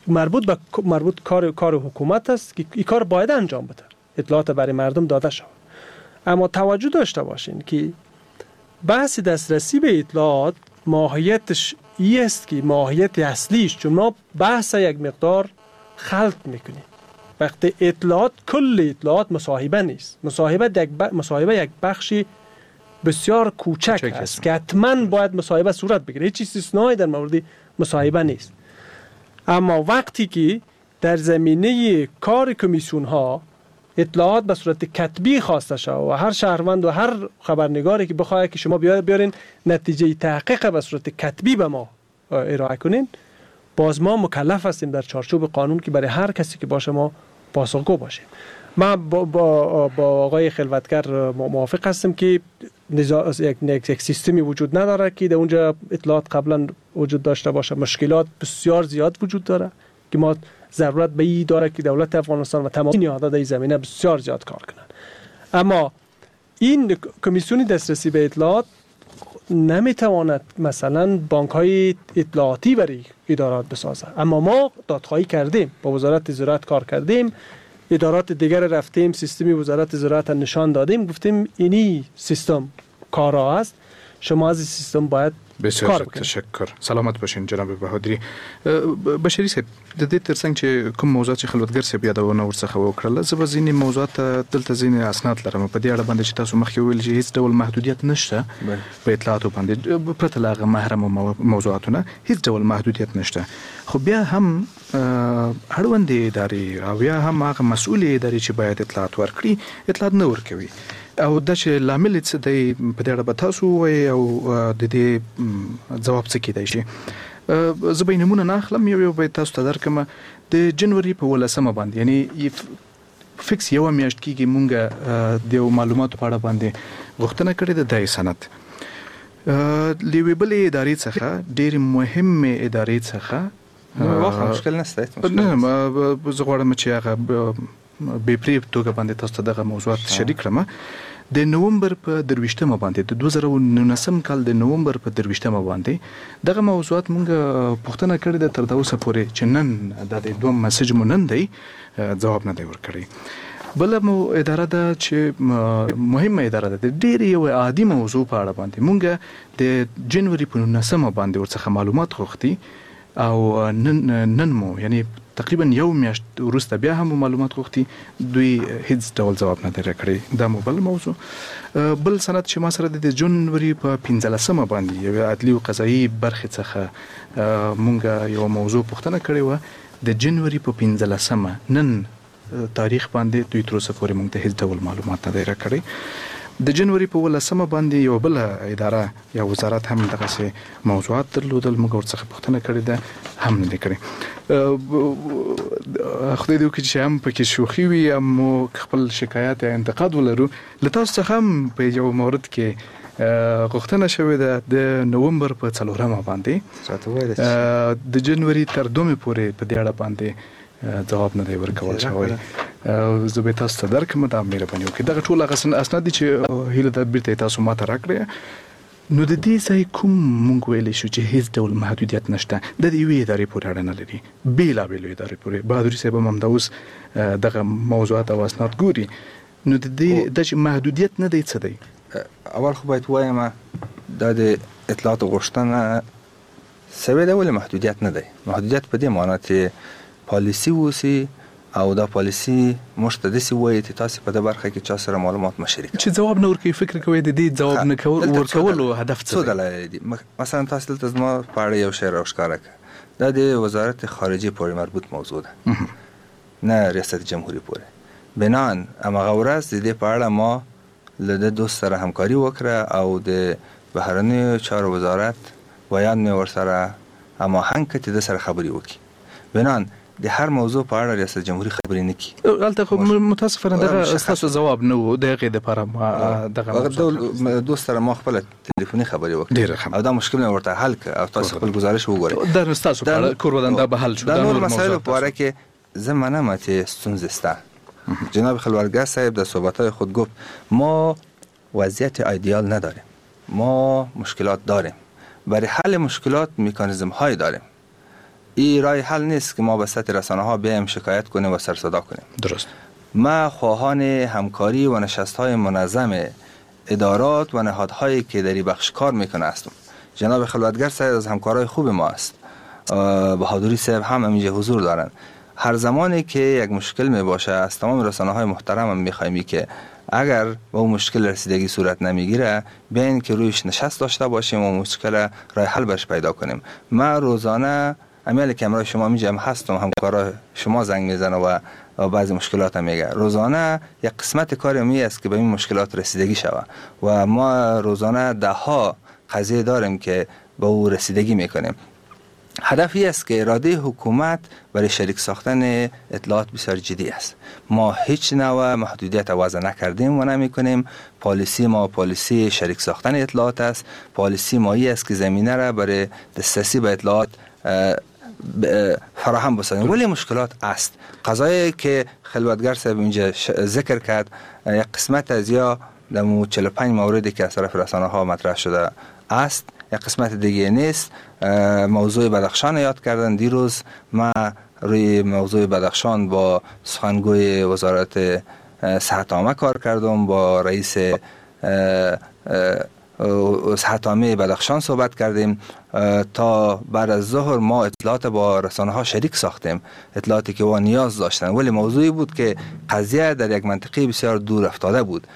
مربوط به مربوط کار حکومت است که این کار باید انجام بده، اطلاعات برای مردم داده شود. اما توجه داشته باشین که بحث دسترسی به اطلاعات ماهیتش ای است که ماهیت اصلیش، چون ما بحث یک مقدار خلط میکنیم، وقتی اطلاعات، کل اطلاعات مصاحبه نیست. مصاحبه یک بخشی بسیار کوچک است که حتما باید مصاحبه صورت بگیره، هیچ استثنایی در مورد مصاحبه نیست. اما وقتی که در زمینه کار کمیسیون ها اطلاعات به صورت کتبی خواسته شود و هر شهروند و هر خبرنگاری که بخواهد که شما بیارین نتیجه تحقیق به صورت کتبی به ما ارائه کنین، باز ما مکلف هستیم در چارچوب قانون که برای هر کسی که باشه ما پاسخگو باشیم. من با آقای خلوتگر موافق هستم که یک سیستمی وجود نداره که در اونجا اطلاعات قبلا وجود داشته باشه. مشکلات بسیار زیاد وجود داره که ما ضرورت به این داره که دولت افغانستان و تمام نهادها در این زمینه بسیار زیاد کار کنند. اما این کمیسیون دسترسی به اطلاعات نمیتواند مثلا بانک های اطلاعاتی برای ادارات بسازه. اما ما دادخواهی کردیم، با وزارت زراعت کار کردیم، ادارات دیگر رفتیم، سیستمی وزارت زراعت نشان دادیم، گفتیم اینی سیستم کارا است، شما از این سیستم باید بسیار تشکر، سلامت باشین جناب بهادری. بشری صاحب، د دې ترڅنګ چې کوم موضوع چې خلوتګر صاحب یادونه ورڅخه وکړله، زه به ځینې موضوعات دلته ځینې اسناد لرم په دې اړه باندې چې تاسو مخکې وویل چې هیڅ ډول محدودیت نشته په اطلاعاتو باندې، پرته له هغه محرمو موضوعاتو نه هیڅ ډول محدودیت نشته، خو بیا هم اړوندې ادارې او یا هم هغه مسؤلې ادارې چې باید اطلاعات ورکړي اطلاعات نه ورکوي، او دا چې لامل یې څه دی په دې اړه به تاسو ووایئ او د دې ځواب څه کېدای شي. زه به یې نومونه نه اخلم، یو یو به یې تاسو ته درکړم. د جنوري په 18 باندې، یعنی فکس یوه میاشت کېږي، مونږ د یو معلوماتو په اړه باندې غوښتنه کړې ده. دا یې سند له یوې بلې ادارې څخه، ډېرې مهمې ادارې څخه، واخله، مشکل نشته. نه، زه غواړم چې هغه بې پرې توګه باندې تاسو ته دغه موضوعات شریک کړم. د نومبر په 23 باندې، د 2019 کال د نومبر په 23 باندې دغه موضوعات مونږ پوښتنه کړې ده، تر دا اوسه پورې چې نن دا د دوم مسج مو نن دی ځواب نه دی ورکړی. بله مو اداره ده چې مهمه اداره ده، د ډېرې یوې عادي موضوع په اړه باندې مونږ د جنوري په 19 باندې ورڅخه معلومات غوښتي او نن مو، یعنی تقریبا یو میاشت وروسته بیا هم معلومات غوښتي، دوی هیڅ ډول ځواب نه دی راکړی. دا مو بل موضوع. بل سند چې ما سره د جنوري په 15 باندې یوې عدلي او قضایي برخې څخه مونږ یوه موضوع پوښتنه کړې وه، د جنوري په 15 نن تاریخ باندې دوی تر اوسه پورې مونږ ته هیڅ ډول معلومات نه دی راکړی. د جنوري په 18مه باندې یو بل اداره یا وزارت هم دغسې موضوعات درلودل، موږ ورڅخه پوښتنه کړې ده، هم نه دي کړې. خدای دې وکړي چې هم پکې شوخي وي، هم مو خپل شکایت یا انتقاد ولرو. له تاسو څخه هم په یو مورد کې غوښتنه شوې ده، د نومبر په 4مه باندې د جنوري تر 2مې پورې په دې اړه باندې ځواب نه دی ورکول شوی. زه به تاسو ته درکړم، دا مهرباني وکړئ. دغه ټول هغه اسناد دي چې هیله ده بیرته یې تاسو ماته راکړئ. نو د دې ځای کوم مونږ ویلی شو چې هیڅ ډول محدودیت نشته، د یوې ادارې پورې اړه نه لري، بېلابېلو ادارې پورې. بهادري صاحب هم همدا اوس دغه موضوعات او اسناد ګوري. نو د دې د چې محدودیت نه دی څه دی؟ اول خو باید ووایم دا د اطلاعاتو غوښتنه سوې ده، ولې محدودیت نه دی. محدودیت په دې معنا چې پالیسي اوسي او دا پالیسي موږ ته داسې وایي چې تاسې په دې برخه کې چا سره معلومات مه شریکوئ. چې ځواب نه ورکوي، فکر کوئ د دې ځواب نه ورکولو هدف څه دی؟ څو دلایل دي. مثلا تاسې دلته زما په اړه یو شی راوښکاره کړه، دا د وزارت خارجې پورې مربوط موضوع ده، نه ریاست جمهوري پورې. بنان هماغه ورځ د دې په اړه ما له ده دوست سره همکاري وکړه او د بهرنیو چارو وزارت ویاند مې ورسره هماهنګ کړ چې ده سره خبرې وکړي. بنان د هر موضوع په اړه ریاست جمهوري خبرې نه کړي. هلته خو متاسفانه دغه ستاسو ځواب نه و، د هغې دپاره ما دغه دوست سره ما خپله تلیفوني خبرې وکړې او دا مشکل مې ورته حل کړ او تاسو خپل ګزارش وګورئ. دا نو ستاسو په اړه کور ودان دا به حل شو. دا نور مسایلو په اړه کې زه منم چې ستونزې شته. جناب خلوتگر صاحب در صحبت‌های خود گفت ما وضعیت ایدئال نداریم، ما مشکلات داریم، برای حل مشکلات مکانیزم های داریم. این راه حل نیست که ما به سطح رسانه ها بیایم شکایت کنیم و سرصدا کنیم. درست. ما خواهان همکاری و نشست های منظم ادارات و نهادهایی که در این بخش کار میکنه هستم. جناب خلوتگر صاحب از همکارای خوب ما است، بهادری صاحب هم اینجا حضور دارند. هر زمانی که یک مشکل می باشه از تمام رسانه های محترم هم میخوایم که اگر به اون مشکل رسیدگی صورت نمیگیره بیاین که رویش نشست داشته باشیم و مشکل راه حل برش پیدا کنیم. ما روزانه امیال که امرای شما میجم هستم، همکارای شما زنگ میزنه و بعضی مشکلات هم میگه. روزانه یک قسمت کار می است که به این مشکلات رسیدگی شوه و ما روزانه ده ها قضیه داریم که به او رسیدگی میکنیم. هدف این است که اراده حکومت برای شریک ساختن اطلاعات بسیار جدی است. ما هیچ نوع محدودیت وضع نکردیم و نمی کنیم. پالیسی ما پالیسی شریک ساختن اطلاعات است. پالیسی ما این است که زمینه را برای دسترسی به اطلاعات فراهم بسازیم، ولی مشکلات است. قضایی که خلوتگر صاحب اینجا ذکر کرد، یک قسمت از یا در 45 موردی که از طرف رسانه ها مطرح شده است، یک قسمت دیگه نیست. موضوع بدخشان یاد کردن. دیروز ما روی موضوع بدخشان با سخنگوی وزارت صحت عامه کار کردم، با رئیس صحت عامه بدخشان صحبت کردیم. تا بعد از ظهر ما اطلاعات با رسانه ها شریک ساختیم، اطلاعاتی که با نیاز داشتن، ولی موضوعی بود که قضیه در یک منطقه بسیار دور افتاده بود.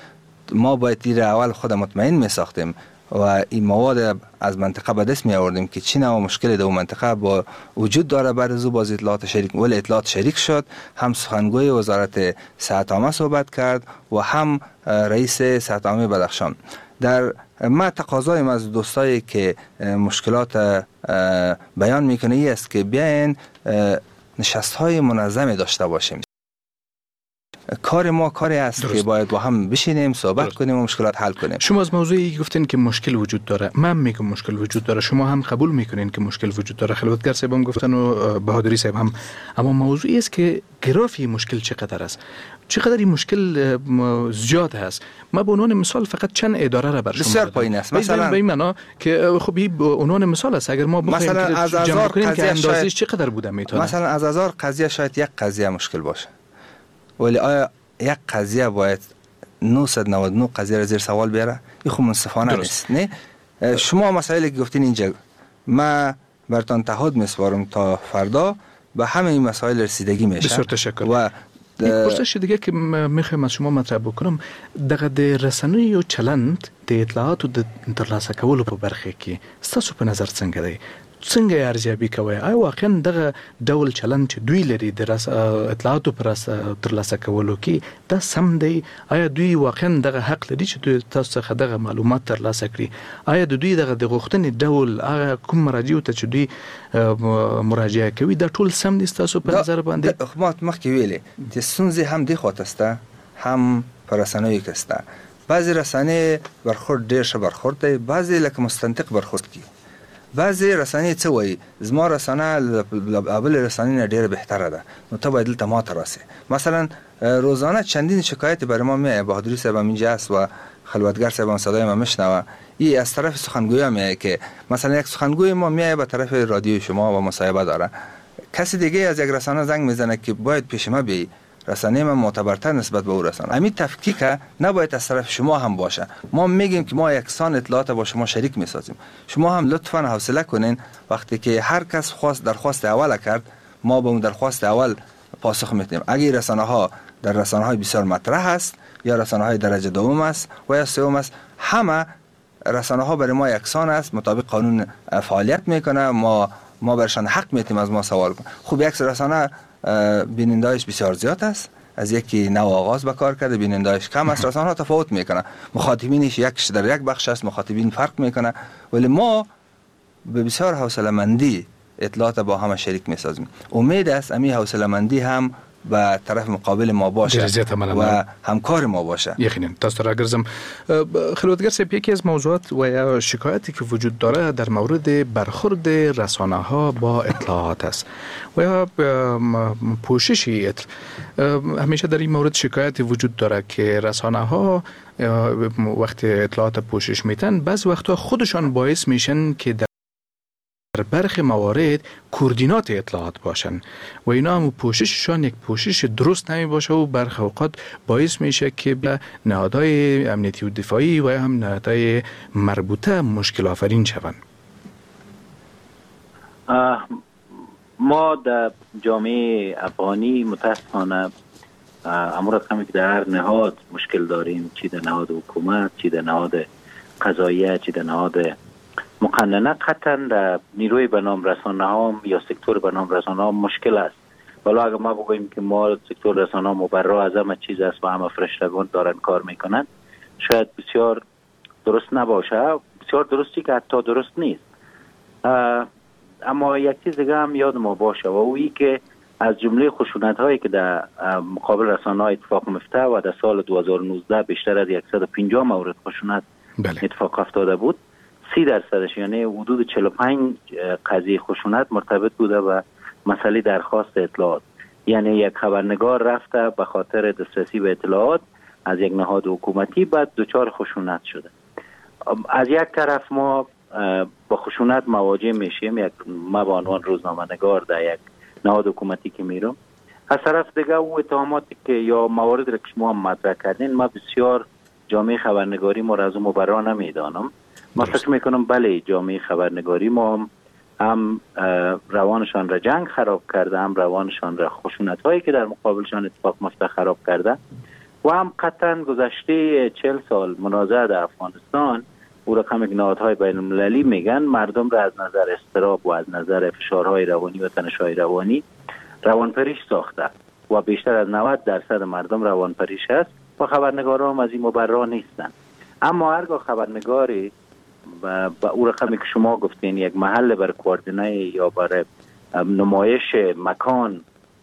ما باید تیر اول خود مطمئن می ساختیم و این مواد از منطقه به دست می آوردیم که چی نوع مشکل در منطقه با وجود داره. بعد از او باز اطلاعات شریک، ولی اطلاعات شریک شد. هم سخنگوی وزارت صحت عامه صحبت کرد و هم رئیس صحت عامه بدخشان. در ما تقاضایم از دوستایی که مشکلات بیان میکنه این است که بیاین نشست های منظم داشته باشیم. کار ما کاری است که باید با هم بشینیم صحبت کنیم و مشکلات حل کنیم. شما از موضوعی گفتین که مشکل وجود داره، من میگم مشکل وجود داره، شما هم قبول میکنین که مشکل وجود داره، خلوتگر صاحب هم گفتن و بهادری صاحب هم، اما موضوعی است که گرافی مشکل چقدر است، چقدر این مشکل زیاد هست. ما به عنوان مثال فقط چند اداره را بر شما بسیار پایین است. مثلا به این معنا که خب این به عنوان مثال است، اگر ما بخوایم که جمع کنیم که اندازش چقدر بوده میتونه، مثلا از هزار قضیه شاید یک قضیه مشکل باشه، ولی آیا یک قضیه باید 999 قضیه را زیر سوال بیاره؟ این خب منصفانه نیست. نه شما مسائلی که گفتین اینجا ما براتون تعهد میسپارم تا فردا به همه این مسائل رسیدگی میشه. بسیار تشکر. و یک پرسش دیگه که میخوایم از شما مطرح بکنم، دغه د رسنیو چلند د اطلاعاتو د ترلاسه کولو په برخه کې ستاسو په نظر څنګه دی؟ څنګه یې ارزیابي کوئ؟ آیا واقعا دغه ډول چلند چې دوی لري د اطلاعاتو په ترلاسه کولو کې دا سم دی؟ آیا دوی واقعا دغه حق لري چې دوی تاسو څخه دغه معلومات ترلاسه کړي؟ آیا د دوی دغه د غوښتنې ډول، هغه کوم مراجعو ته چې دوی مراجعه کوي، دا ټول سم دي ستاسو په نظر باندې؟ خو ما مخکې ویلې چې ستونزې هم دې خواته شته هم په رسنیو کې شته. بعضې رسنۍ برخورد ډېر ښه برخورد دی، بعضې لکه مستنطق برخورد کوي. بعضې رسنۍ څه وایي، زما رسنه له بلې رسنې نه ډېره بهتره ده، نو ته باید دلته ماته راسې. مثلا روزانه چندین شکایت برای ما میایه، بهادری صاحب هم اینجا است و خلوتگر صاحب هم صدای ما میشنوه، ای از طرف سخنگویا میایه که مثلا یک سخنگوی ما میایه به طرف رادیو شما و مصاحبه داره، کسی دیگه از یک رسانه زنگ میزنه که باید پیش ما بیایی، رسانه ما معتبرتر نسبت به او رسانه. همین تفکیک نباید از طرف شما هم باشه. ما میگیم که ما یکسان اطلاعات با شما شریک میسازیم، شما هم لطفا حوصله کنین، وقتی که هر کس خواست درخواست اول کرد، ما به اون درخواست اول پاسخ میدیم. اگه رسانه ها در رسانه های بسیار مطرح است یا رسانه های درجه دوم است و یا سوم است، همه رسانه ها برای ما یکسان است، مطابق قانون فعالیت میکنه، ما برشان حق میتیم از ما سوال کن. خب یک رسانه بینندایش بسیار زیاد است، از یکی نو آغاز به کار کرده، بینندایش کم است، رسانه ها تفاوت میکنه، مخاطبینش یکش در یک بخش است، مخاطبین فرق میکنه، ولی ما به بسیار حوصله مندی اطلاعات با همه شریک میسازیم. امید است امی حوصله مندی هم به طرف مقابل ما باشه و همکار ما باشه. یقینا تاسو راګرځم. خلوتګر صاحب، یکی از موضوعات و یا شکایتی که وجود داره در مورد برخورد رسانه ها با اطلاعات است و یا پوشش همیشه در این مورد شکایت وجود داره که رسانه ها وقتی اطلاعات پوشش میتن، بعض وقتها خودشان باعث میشن که در برخی موارد کوردینات اطلاعات باشن و اینا هم پوشششان یک پوشش درست نمی باشه و برخی اوقات باعث میشه که به نهادهای امنیتی و دفاعی و هم نهادهای مربوطه مشکل آفرین شوند. ما در جامعه افغانی متاسفانه امور رقمی که در هر نهاد مشکل داریم، چی در نهاد حکومت، چی در نهاد قضاییه، چی در نهاد مقننه، قطعا در نیروی به نام رسانه ها یا سکتور به نام رسانه ها مشکل است. ولی اگر ما بگوییم که ما سکتور رسانه ها مبرا از همه چیز است و همه فرشتگان دارن کار میکنن، شاید بسیار درست نباشه، بسیار درستی که حتی درست نیست. اما یک چیز دیگه هم یاد ما باشه و اویی که از جمله خشونت هایی که در مقابل رسانه ها اتفاق میفته و در سال 2019 بیشتر از 150 مورد خشونت اتفاق افتاده بود، 30% یعنی حدود 45 قضیه خشونت مرتبط بوده به مسئله درخواست اطلاعات. یعنی یک خبرنگار رفته به خاطر دسترسی به اطلاعات از یک نهاد حکومتی، بعد دچار خشونت شده. از یک طرف ما با خشونت مواجه میشیم، یک ما به عنوان روزنامه‌نگار در یک نهاد حکومتی که میرم، از طرف دیگه او اتهاماتی که یا موارد را که شما مطرح کردین، ما بسیار جامعه خبرنگاری ما را از اون مبرا نمیدانم. ما فکر میکنم بله، جامعه خبرنگاری ما هم روانشان را جنگ خراب کرده، هم روانشان را خشونت هایی که در مقابلشان اتفاق میفته خراب کرده و هم قطعا گذشته 40 سال منازعه در افغانستان او رقم نهادهای بین المللی میگن مردم را از نظر اضطراب و از نظر فشارهای روانی و تنش‌های روانی روانپریش ساخته و بیشتر از 90% مردم روانپریش است و خبرنگاران هم از این مبرا نیستن. اما هرگاه خبرنگاری با او رقمی که شما گفتین یک محل بر کوردینه یا بر نمایش مکان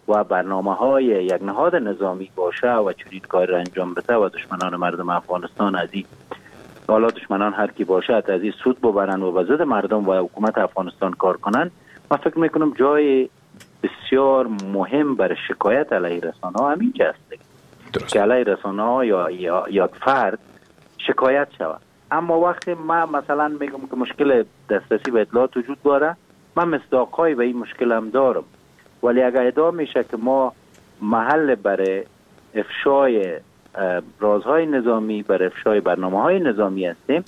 و برنامه های یک نهاد نظامی باشه و چنین کار را انجام بده و دشمنان مردم افغانستان از این، حالا دشمنان هر کی باشد، از این سود ببرن و به ضد مردم و حکومت افغانستان کار کنن، من فکر میکنم جای بسیار مهم بر شکایت علیه رسانه ها همین است که علیه رسانه ها یا فرد شکایت شود. اما وقتی من مثلا میگم که مشکل دسترسی به اطلاعات وجود داره، من مصداق‌هایی به این مشکل هم دارم، ولی اگر ادعا میشه که ما محل برای افشای رازهای نظامی، برای افشای برنامه‌های نظامی هستیم،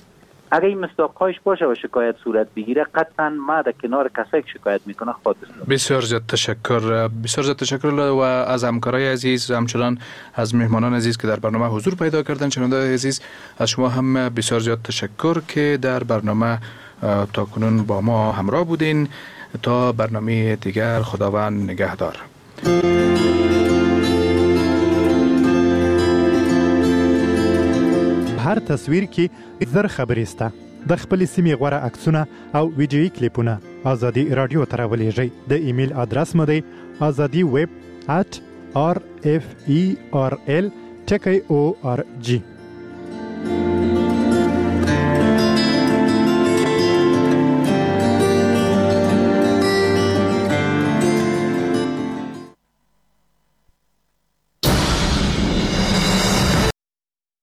اگه این مصداقهایش باشه و شکایت صورت بگیره، قطعا ما در کنار کسایی که شکایت میکنه خواهد. بسیار زیاد تشکر، بسیار زیاد تشکر و از همکارای عزیز، همچنان از مهمانان عزیز که در برنامه حضور پیدا کردن. شنونده عزیز، از شما هم بسیار زیاد تشکر که در برنامه تا کنون با ما همراه بودین. تا برنامه دیگر، خداوند نگهدار. هر تصویر کې 1000 خبرې سته. د خپلې سیمې غوره عکسونه او ویډیويي کلیپونه ازادي رادیو ته راولېږئ. د ایمیل ادرس مو دی ازادي ویب @rferl.org.